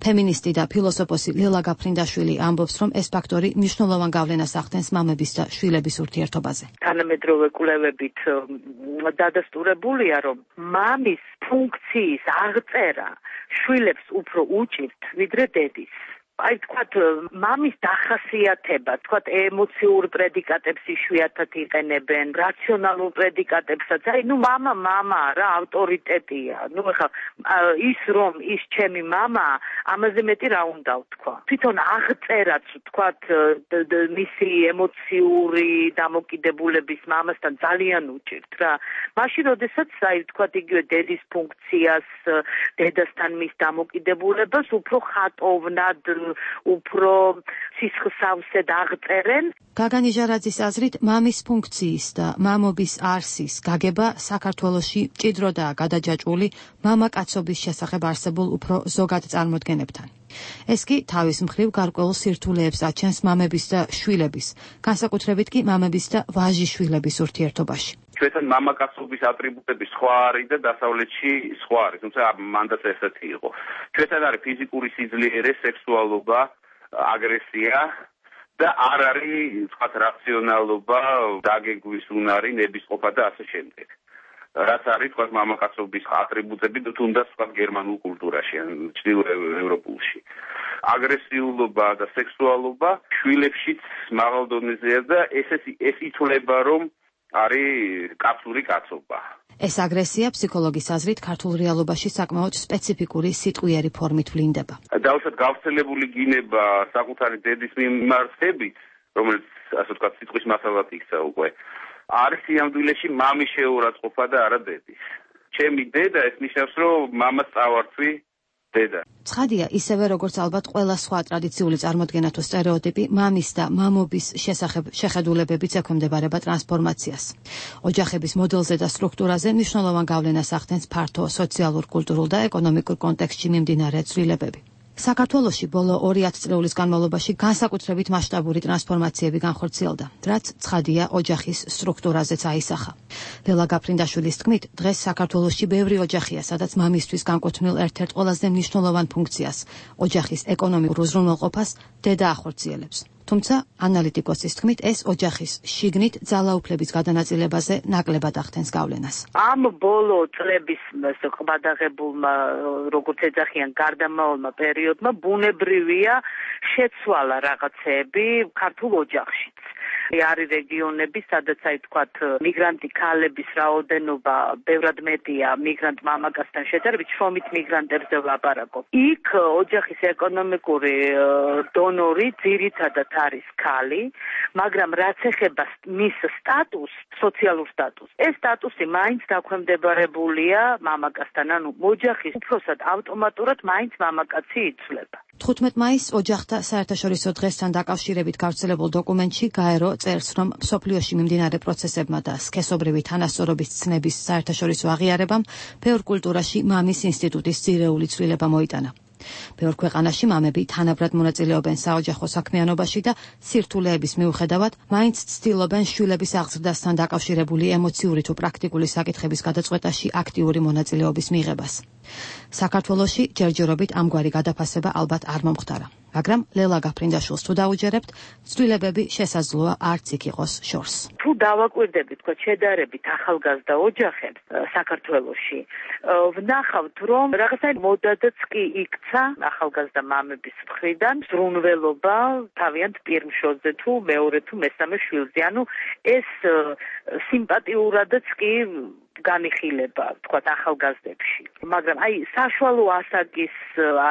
ფემინისტი და ფილოსოფოსი ლელა გაფრინდაშვილი ამბობს, რომ ეს ფაქტორი მნიშვნელოვან გავლენას ახდენს მამების და შვილების ურთიერთობაზე. თანამედროვე კვლევებით დადასტურებულია, რომ მამის ფუნქციის აღწერა შვილებს უფრო უჭირთ, ვიდრე დედის. აი თქვათ მამის დახასიათება, თქვათ ემოციურ პრედიკატებს იშვიათად იყენებენ, რაციონალურ პრედიკატებსაც. აი მამა რა ავტორიტეტია. ეხლა ის რომ ის ჩემი მამაა, ამაზე მეტი რა უნდა ვთქვა. თვითონ აღწერაც თქვათ მისი ემოციური დამოკიდებულების მამასთან ძალიან უჭირთ რა. მაშინ როდესაც აი თქვათ იგივე დედის ფუნქციას, დედასთან მის დამოკიდებულებას უფრო ხატოვნად უფრო სისხლსავსედ აღწერენ. გაგა ნიჟარაძის აზრით, მამის ფუნქციის და მამობის არსის გაგება საქართველოში მჭიდროდაა გადაჯაჭვული მამაკაცობის შესახებ არსებულ უფრო ზოგად წარმოდგენებთან. ეს კი თავის მხრივ გარკვეულ სირთულეებს აჩენს მამების და შვილების, განსაკუთრებით კი მამების და ვაჟიშვილების ურთიერთობაში. ჩვენთან მამაკაცობის ატრიბუტები სხვა არის და დასავლეთში სხვა არის, თუმცა მანდაც ესეთი იყო. ჩვენთან არის ფიზიკური სიძლიერე, სექსუალობა, აგრესია და არ არის, თქვათ, რაციონალობა, დაგეგმვის უნარი, ნებისყოფა და ასე შემდეგ. რაც არის, თქვათ, მამაკაცობის ატრიბუტები თუნდაც, თქვათ, გერმანულ კულტურაში, ჩრდილო ევროპულში. აგრესიულობა და სექსუალობა შვილებშიც მაღალ დონეზეა და ეს ითვლება, რომ არის კაცური კაცობა. ეს აგრესია ფსიქოლოგის აზრით ქართულ რეალობაში საკმაოდ სპეციფიკური სიტყვიერი ფორმით ვლინდება. დავუშვათ გავრცელებული გინება საკუთარი დედის მიმართებით, რომელიც ასე ვთქვათ სიტყვის მასალად იქცა უკვე, არის სიამდვილეში მამის შეურაცხყოფა და არა დედის. ჩემი დედა, ეს ნიშნავს, რომ მამას წავარცვი დედა. ცხადია, ისევე როგორც ალბათ ყველა სხვა ტრადიციული წარმოდგენა თუ სტერეოტიპი, მამის და მამობის შესახებ შეხედულებებიც ექვემდებარება ტრანსფორმაციას. ოჯახების მოდელზე და სტრუქტურაზე მნიშვნელოვან გავლენას ახდენს ფართო სოციალურ, კულტურულ და ეკონომიკურ კონტექსტში მიმდინარე ცვლილებები. საქართველოში ბოლო 2 წლეულის განმავლობაში განსაკუთრებით მასშტაბური ტრანსფორმაციები განხორციელდა, რაც ცხადია ოჯახის სტრუქტურაზეც აისახა. ლელა გაფრინდაშვილის თქმით, დღეს საქართველოში ბევრი ოჯახია, სადაც მამისთვის განკუთვნილ ერთ-ერთ ყველაზე მნიშვნელოვან ფუნქციას, ოჯახის ეკონომიკურ უზრუნველყოფას, დედა ახორციელებს. თუმცა, ანალიტიკოსის თქმით, ეს ოჯახის შიგნით ძალაუფლების გადანაწილებაზე ნაკლებად ახდენს გავლენას. ამ ბოლო წლების ყბადაღებულმა, როგორც ეძახიან, გარდამავალმა პერიოდმა ბუნებრივია შეცვალა რაღაცეები ქართულ ოჯახშიც. არის რეგიონები, სადაც აი თქვათ მიგრანტი ქალების რაოდენობა ბევრად მეტია მიგრანტ მამაკაცთან შედარებით, შრომით მიგრანტებზე ვლაპარაკობ. იქ ოჯახის ეკონომიკური დონორი ძირითადად არის ქალი, მაგრამ რაც ეხება მის სტატუსს, სოციალურ სტატუსს, ეს სტატუსი მაინც დაქვემდებარებულია მამაკაცთან, ანუ ოჯახის უფროსად ავტომატურად მაინც მამაკაცი იცვლება. 15 მაისს ოჯახთა საერთაშორისო დღესთან დაკავშირებით გავრცელებულ დოკუმენტში გაერო წერს, რომ მსოფლიოში მიმდინარე პროცესებმა და სქესობრივი თანასწორობის ცნების საერთაშორისო აღიარებამ ბევრ კულტურაში მამის ინსტიტუტის ძირეული ცვლილება მოიტანა. ბევრ ქვეყანაში მამები თანაბრად მონაწილეობენ საოჯახო საქმიანობაში და სირთულეების მიუხედავად მაინც ცდილობენ შვილების აღზრდასთან დაკავშირებული ემოციური თუ პრაქტიკული საკითხების გადაწყვეტაში აქტიური მონაწილეობის მიღებას. საქართველოში ჯერჯერობით ამგვარი გადაფასება ალბათ არ მომხდარა, მაგრამ ლელა გაფრინდაშვილს თუ დაუჯერებთ, ცვლილებები შესაძლოა არც იქ იყოს შორს. თუ დავაკვირდებით, თქო, შედარებით ახალგაზრდა ოჯახებს საქართველოში, ვნახავთ, რომ რაღაცა მოდადაც კი იქცა ახალგაზრდა მამების მხრიდან ზრუნველობა თავიანთ პირმშოზე თუ მეორე თუ მესამე შვილზე. ანუ ეს სიმპათიურადაც კი განიხილება, თქვათ, ახალგაზრდებში. მაგრამ აი საშუალო ასაკის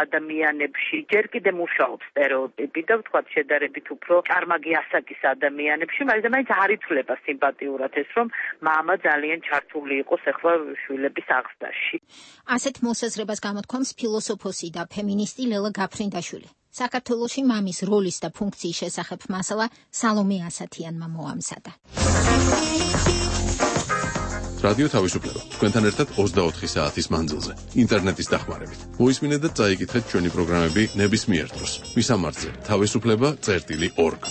ადამიანებში ჯერ კიდე მუშაობს სტერეოტიპი და ვთქვათ, შედარებით უფრო ჭარმაგი ასაკის ადამიანებში, მაგრამ მაინც არ იცვლება სიმპათიურად ეს, რომ მამა ძალიან ჩართული იყოს ახლა შვილების აღზრდაში. ასეთ მოსაზრებას გამოთქვამს ფილოსოფოსი და ფემინისტი ლელა გაფრინდაშვილი. საქართველოში მამის როლის და ფუნქციის შესახებ მასალა სალომე ასათიანმა მოამზადა. რადიო თავისუფლება. თქვენთან ერთად 24 საათის მანძილზე. ინტერნეტის დახმარებით. მოისმინეთ და წაიკითხეთ ჩვენი პროგრამები ნებისმიერ დროს. მისამართზე თავისუფლება.org.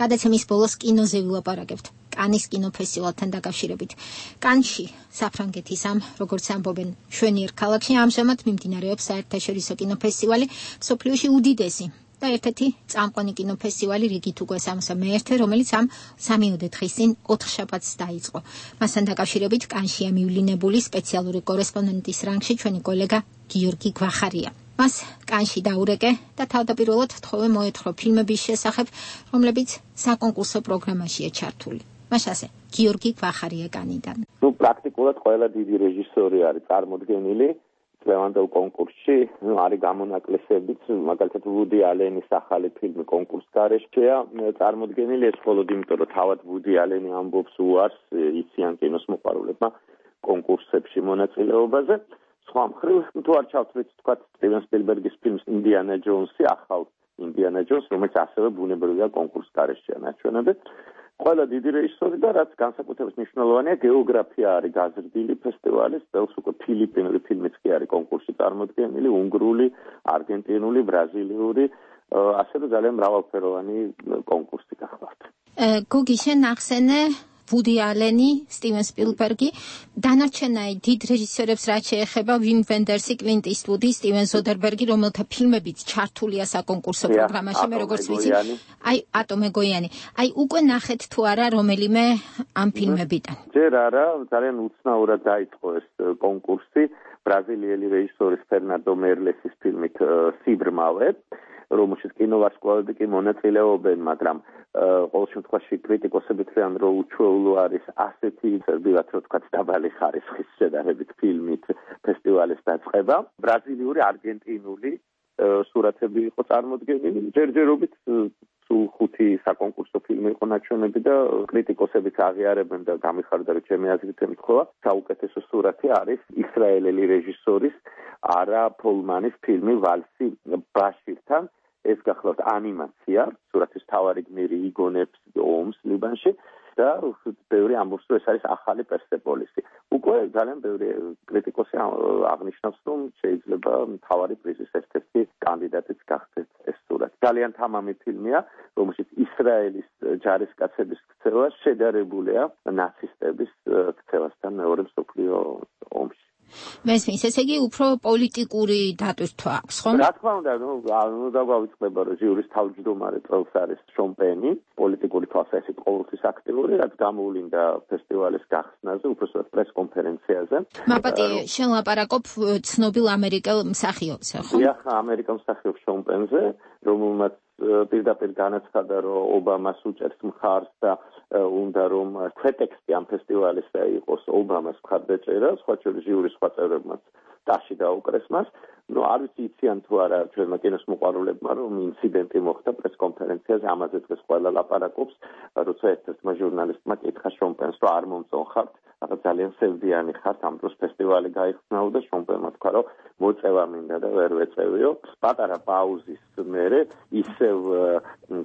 გადაცემის ბოლოს კინოზე ვილაპარაკებთ. კანის კინოფესტივალთან დაკავშირებით. კანში, საფრანგეთის ამ, როგორც ამბობენ, შვენიერ ქალაქში ამჟამად მიმდინარეობს საერთაშორისო კინოფესტივალი, მსოფლიოში უდიდესი და ერთ-ერთი წამყვანი კინოფესტივალი რიგით უკვე 61, რომელიც ამ 3 დღის წინ 4 შაბათს დაიწყო. მასთან დაკავშირებით კანშია მივლინებული სპეციალური კორესპონდენტის რანგში ჩვენი კოლეგა გიორგი გვახარია. მას კანში დაურეკე და თავდაპირველად თხოვე მოეთხრო ფილმების შესახებ, რომლებიც საკონკურსო პროგრამაშია ჩართული. მაშასე, გიორგი გვახარია კანიდან. პრაქტიკულად ყველა დიდი რეჟისორი არის წარმოდგენილი წლევანდელ კონკურსში, არის გამონაკლისებიც, მაგალითად ვუდი ალენის ახალი ფილმი კონკურსგარეშეა წარმოდგენილი, ეს მხოლოდ იმიტომ, რომ თავად ვუდი ალენი ამბობს უარს იციან კინოს მოყვარულებმა კონკურსებში მონაწილეობაზე. სხვა მხრივ, თუ არ ჩავთვლით, თქვათ, სტივენ სპილბერგის ფილმს ინდიანა ჯონსი, ახალ ინდიანა ჯონს, რომელიც ასევე ბუნებრივია კონკურსგარეშეა ნაჩვენები. ყველა დიდი რეჟისორი და რაც განსაკუთრებით მნიშვნელოვანია, გეოგრაფია არის გაზრდილი ფესტივალის, წელს უკვე ფილიპინური ფილმიც კი არის კონკურსში წარმოდგენილი, უნგრული, არგენტინული, ბრაზილიური, ასევე ძალიან მრავალფეროვანი კონკურსი გახლავთ. გოგი, შენ ახსენე ვუდი ალენი, სტივენ სპილბერგი, დანარჩენაი დიდ რეჟისორებს რაც შეეხება ვიმ ვენდერსი, კლინტ ისტვუდი, სტივენ ზოდერბერგი, რომელთა ფილმებიც ჩართულია საკონკურსო პროგრამაში, მე როგორც ვიცი, აი ატომე გოიანი. აი უკვე ნახეთ თუ არა რომელიმე ამ ფილმებიდან? ჯერ არა, ძალიან უცნაურად დაიწყო ეს კონკურსი ბრაზილიელი რეჟისორის ფერნანდო მერლესის ფილმით სიბრმავე, რომელშიც კინოვარსკვლავები კი მონაწილეობენ, მაგრამ ყოველ შემთხვევაში კრიტიკოსები თვლიან, რომ უჩვეულო არის ასეთი წერბილად, რომ თქვათ დაბალი ხარისხის შედარებით ფილმით ფესტივალის დაწყება. ბრაზილიური, არგენტინული სურათები იყო წარმოდგენილი, ჯერჯერობით სულ 5 საკონკურსო ფილმი იყო ნაჩვენები და კრიტიკოსებიც აღიარებენ და გამიხარდა, რომ ჩემი აზრით ემთხვევა, საუკეთესო სურათი არის ისრაელელი რეჟისორის არა ფოლმანის ფილმი ვალსი ბაშირთან. ეს გახლავთ ანიმაცია, სურათის მთავარი გმირი იგონებს ომს ლიბანში და ბევრი ამბობს, რომ ეს არის ახალი პერსეპოლისი. უკვე ძალიან ბევრი კრიტიკოსი აღნიშნავს, რომ შეიძლება მთავარი პრიზის ერთ-ერთი კანდიდატიც გახდეს ეს სურათი. ძალიან თამამი ფილმია, რომელშიც ისრაელის ჯარისკაცების ქცევა შედარებულია ნაცისტების ქცევასთან მეორე მსოფლიო ომში. მესმის, ესე იგი უფრო პოლიტიკური დატვირთვა აქვს, ხო? რა თქმა უნდა, უნდა გავიწყდება, რომ ჟიურის თავმჯდომარე წელს არის შონ პენი, პოლიტიკური თვალსაზრისით ყოველთვის აქტიური, რაც გამოვლინდა ფესტივალის გახსნაზე, უბრალოდ პრესკონფერენციაზე. მაპატი, შენ ლაპარაკობ ცნობილ ამერიკელ მსახიობზე, ხო? დიახ, ამერიკელ მსახიობს შონ პენზე, რომელმაც პირდაპირ განაცხადა, რომ ობამას უჭერს მხარს და უნდა რომ პრეტექსტი ამ ფესტივალისა იყოს ობამას მხარდაჭერა, სხვა შორის ჟიურის სხვა წევრებმაც ტაში დაუკრეს მას. არ ვიცი იციან თუ არა ჩვენმა კინოს მოყვარულებმა, რომ ინციდენტი მოხდა პრესკონფერენციაზე, ამაზე დღეს ყველა ლაპარაკობს, როცა ერთ-ერთმა ჟურნალისტმა კითხა შონ პენს, რომ არ მომწონხართ, რაღაც ძალიან სევდიანი ხართ, ამ დროს ფესტივალი გაიხსნაო და შონ პენმა თქვა, რომ მოწევა მინდა და ვერ ვეწევიო. პატარა პაუზის მერე ისევ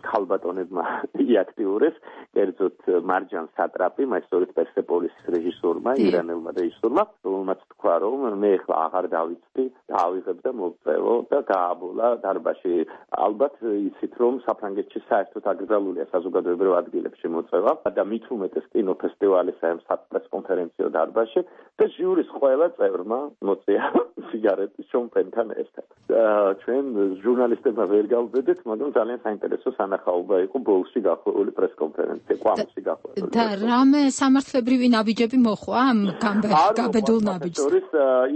ქალბატონებმა იაქტიურეს, კერძოდ მარჯან სატრაპი, მაისტორით პერსეპოლისის რეჟისორმა, ირანელმა რეჟისორმა, რომელმაც თქვა, რომ მე ახლა აღარ დავიცდი, დავიღებ და მოვწევო და გააბოლა დარბაზში. ალბათ იცით, რომ საფრანგეთში საერთოდ აკრძალულია საზოგადოებრივ ადგილებში მოწევა და მით უმეტეს კინოფესტივალისა ამ პრესკონფერენციო დარბაზში და ჟიურის ყველა წევრმა მოწია სიგარეტი შონ პენთან ერთად. ჩვენ ჟურნალისტებმა ვერ გავბედეთ, მაგრამ ძალიან საინტერესო სანახაობა იყო ბოლში გახვეული პრესკონფერენცია, კვამში გახვეული. და რამე სამართლებრივი ნაბიჯები მოხვა ამ გაბედულ ნაბიჯს?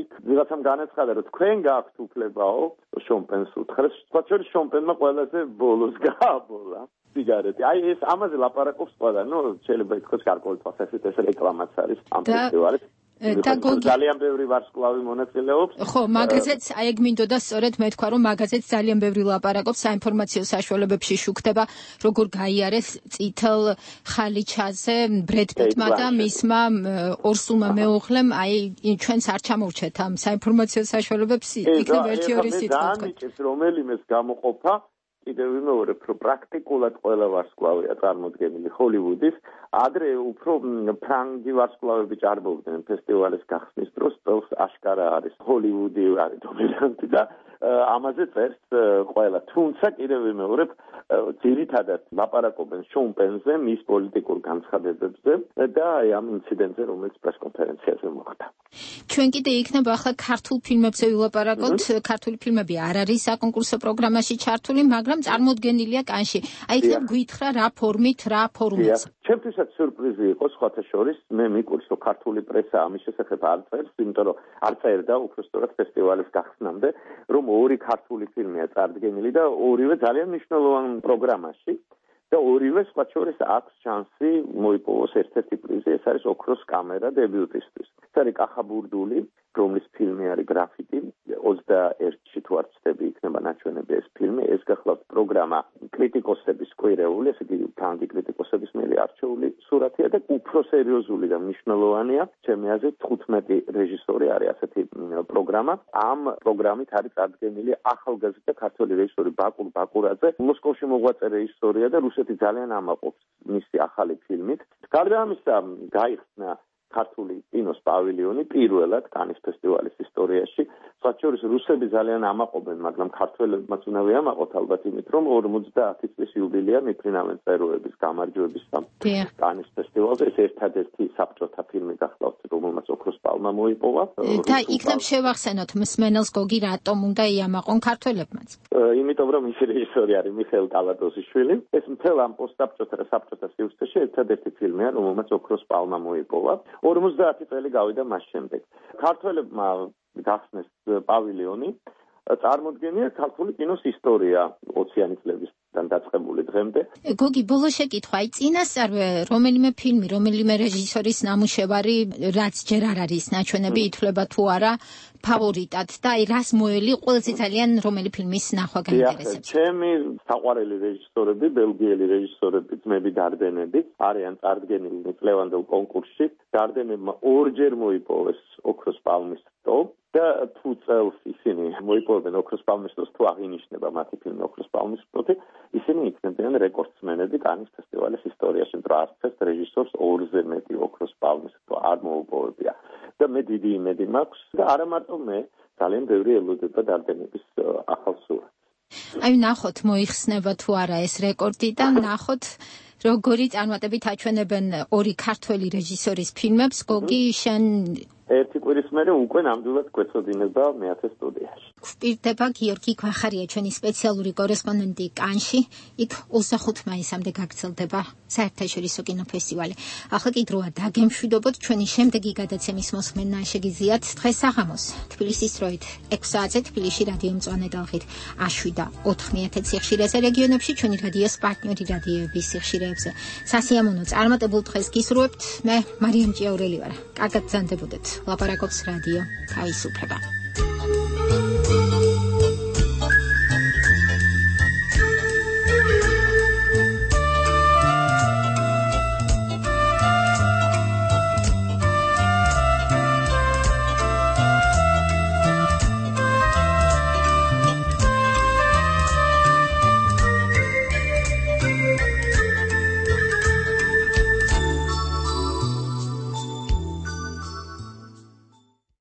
იქ ვიღაცამ განაცხადა, რომ თქვენ გაქვთ უფლებაო შონ პენს უთხრეს, სხვა შორის შონ პენმა ყველაზე ბოლოს გააბოლა სიგარეტი. ეს ამაზე ლაპარაკობს ყველა, შეიძლება ითქვას გარკვეული თვალსაზრისით ეს რეკლამაც არის ამ ფესტივალის. ძალიან ბევრი ვარსკვლავი მონაწილეობს. ხო, მაგაზეც ეგ მინდოდა სწორედ მე თქვა, რომ მაგაზეც ძალიან ბევრი ლაპარაკობს საინფორმაციო საშუალებებში შუქდება, როგორ გაიარეს წითელ ხალიჩაზე ბრედ პიტმა და მისმა ორსულმა მეუღლემ, ჩვენს არ ჩამოვრჩეთ ამ საინფორმაციო საშუალებებს, იქნებ ერთი-ორი სიტყვა. რომელიმეს გამოყოფა კიდევ ვიმეორებ, რომ პრაქტიკულად ყველა ვარსკვლავია წარმოდგენილი ჰოლივუდის, ადრე უფრო ფრანგი ვარსკვლავები ჭარბობდნენ ფესტივალის გახსნის დროს, წელს აშკარა არის ჰოლივუდი არის დომინანტი და ამაზე წერს ყველა. თუმცა კიდევ ვიმეორებ, ძირითადად ლაპარაკობენ შონ პენზე, მის პოლიტიკურ განცხადებებზე და ამ ინციდენტზე, რომელიც პრესკონფერენციაზე მოხდა. ჩვენ კიდე იქნება ახლა ქართულ ფილმებზე ვილაპარაკოთ. ქართული ფილმები არ არის საკონკურსო პროგრამაში ჩართული, მაგრამ წარმოდგენილია კანში. იქნებ გითხრა რა ფორმით, რა ფორუმით. ჩემთვისაც სიურპრიზი იყო სხვათა შორის, მე მიყურს, რომ ქართული პრესა ამის შესახებ არ წერს, იმიტომ რომ არ წერდა უბრალოდ ფესტივალის გახსნამდე, რომ ორი ქართული ფილმია წარდგენილი და ორივე ძალიან მნიშვნელოვან პროგრამაში და ორივე სხვა შორის აქვს შანსი მოიპოვოს ერთ-ერთი პრიზი, ეს არის ოქროს კამერა დებიუტისთვის. ეს არის კახაბურდული, რომლის ფილმი არის გრაფიტი, 21-ში თუ არ ვცდები იქნება ნაჩვენები ეს ფილმი, ეს გახლავთ პროგრამა კრიტიკოსების კვირეული, ესე იგი ფრანგი კრიტიკოსების მიერ არჩეული სურათია და უფრო სერიოზული და მნიშვნელოვანია, ჩემი აზრით 15 რეჟისორი არის ასეთი პროგრამა. ამ პროგრამით არის წარდგენილი ახალგაზრდა ქართველი რეჟისორი ბაკურ ბაკურაძე, მოსკოვში მოღვაწე რეჟისორია და რუსეთი ძალიან ამაყობს მისი ახალი ფილმით. გარდა ამისა, გაიხსნა ქართული კინოს პავილიონი პირველად კანის ფესტივალის ისტორიაში. სხვა შორის რუსები ძალიან ამაყობენ, მაგრამ ქართველებმაც უნდა ვიამაყოთ ალბათ იმით, რომ 50 წლის იუბილეა მიფრინავენ წეროების გამარჯვების კანის ფესტივალზე. ეს ერთადერთი საბჭოთა ფილმი გახლავთ, რომელმაც ოქროს პალმა მოიპოვა. და იქნებ შევახსენოთ მსმენელს გოგი რატომ უნდა იამაყონ ქართველებმაც? იმიტომ რომ ის რეჟისორი არის მიხეილ კალატოზიშვილი. ეს მთელ ამ პოსტსაბჭოთა და საბჭოთა სივრცეში ერთადერთი ფილმია, რომელმაც ოქროს პალმა მოიპოვა. 50 წელი გავიდა მას შემდეგ. ქართველებმა გახსნეს პავილიონი, წარმოდგენია ქართული კინოს ისტორია 20-იანი წლების დაწყებული დღემდე. გოგი, ბოლო შეკითხვა, აი წინასწარ რომელიმე ფილმი, რომელიმე რეჟისორის ნამუშევარი, რაც ჯერ არ არის ნაჩვენები, ითვლება თუ არა ფავორიტად და აი რას მოელი ყველაზე ძალიან რომელი ფილმის ნახვა გაინტერესებს? ჩემი საყვარელი რეჟისორები, ბელგიელი რეჟისორები, ძმები დარდენები არიან წარდგენილი წლევანდელ კონკურსში. დარდენებმა ორჯერ მოიპოვეს ოქროს პალმის რტო და თუ წელს ისინი მოიპოვებენ ოქროს პალმის რტოს, თუ აღინიშნება მათი ფილმი ოქროს პალმის რტოთი, ისინი იქნებიან რეკორდსმენები კანის ფესტივალის ისტორიაში. არც რეჟისორს ორზე მეტი ოქროს პალმის რტო არ მოუპოვებია. და მე დიდი იმედი მაქვს და არა მარტო მე, ძალიან ბევრი ელოდება დარდენების ახალ სურათს. აი ნახოთ მოიხსნება თუ არა ეს რეკორდი და ნახოთ როგორი წარმატებით აჩვენებენ ორი ქართველი რეჟისორის ფილმებს. გოგი, შენ ერთი კვირის მერე უკვე ნამდვილად გვეცოდინება მეათე სტუდიაში. გვპირდება გიორგი გვახარია, ჩვენი სპეციალური კორესპონდენტი კანში. იქ 25 მაისამდე გაგრძელდება საერთაშორისო კინოფესტივალი. ახლა კი დროა დაგემშვიდობოთ ჩვენი შემდეგი გადაცემის მოსმენა შეგიძლიათ დღეს საღამოს თბილისის დროით 6 საათზე თბილისში რადიო მწვანე ტალღით A7-9 სიხშირეზე რეგიონებში ჩვენი რადიოს პარტნიორი რადიოების სიხშირეებზე. სასიამოვნო წარმატებულ დღეს გისურვებთ. მე მარიამ ჭიაურელი ვარ. კარგად გრძანდებოდეთ. ლაპარაკობს რადიო თავისუფლება.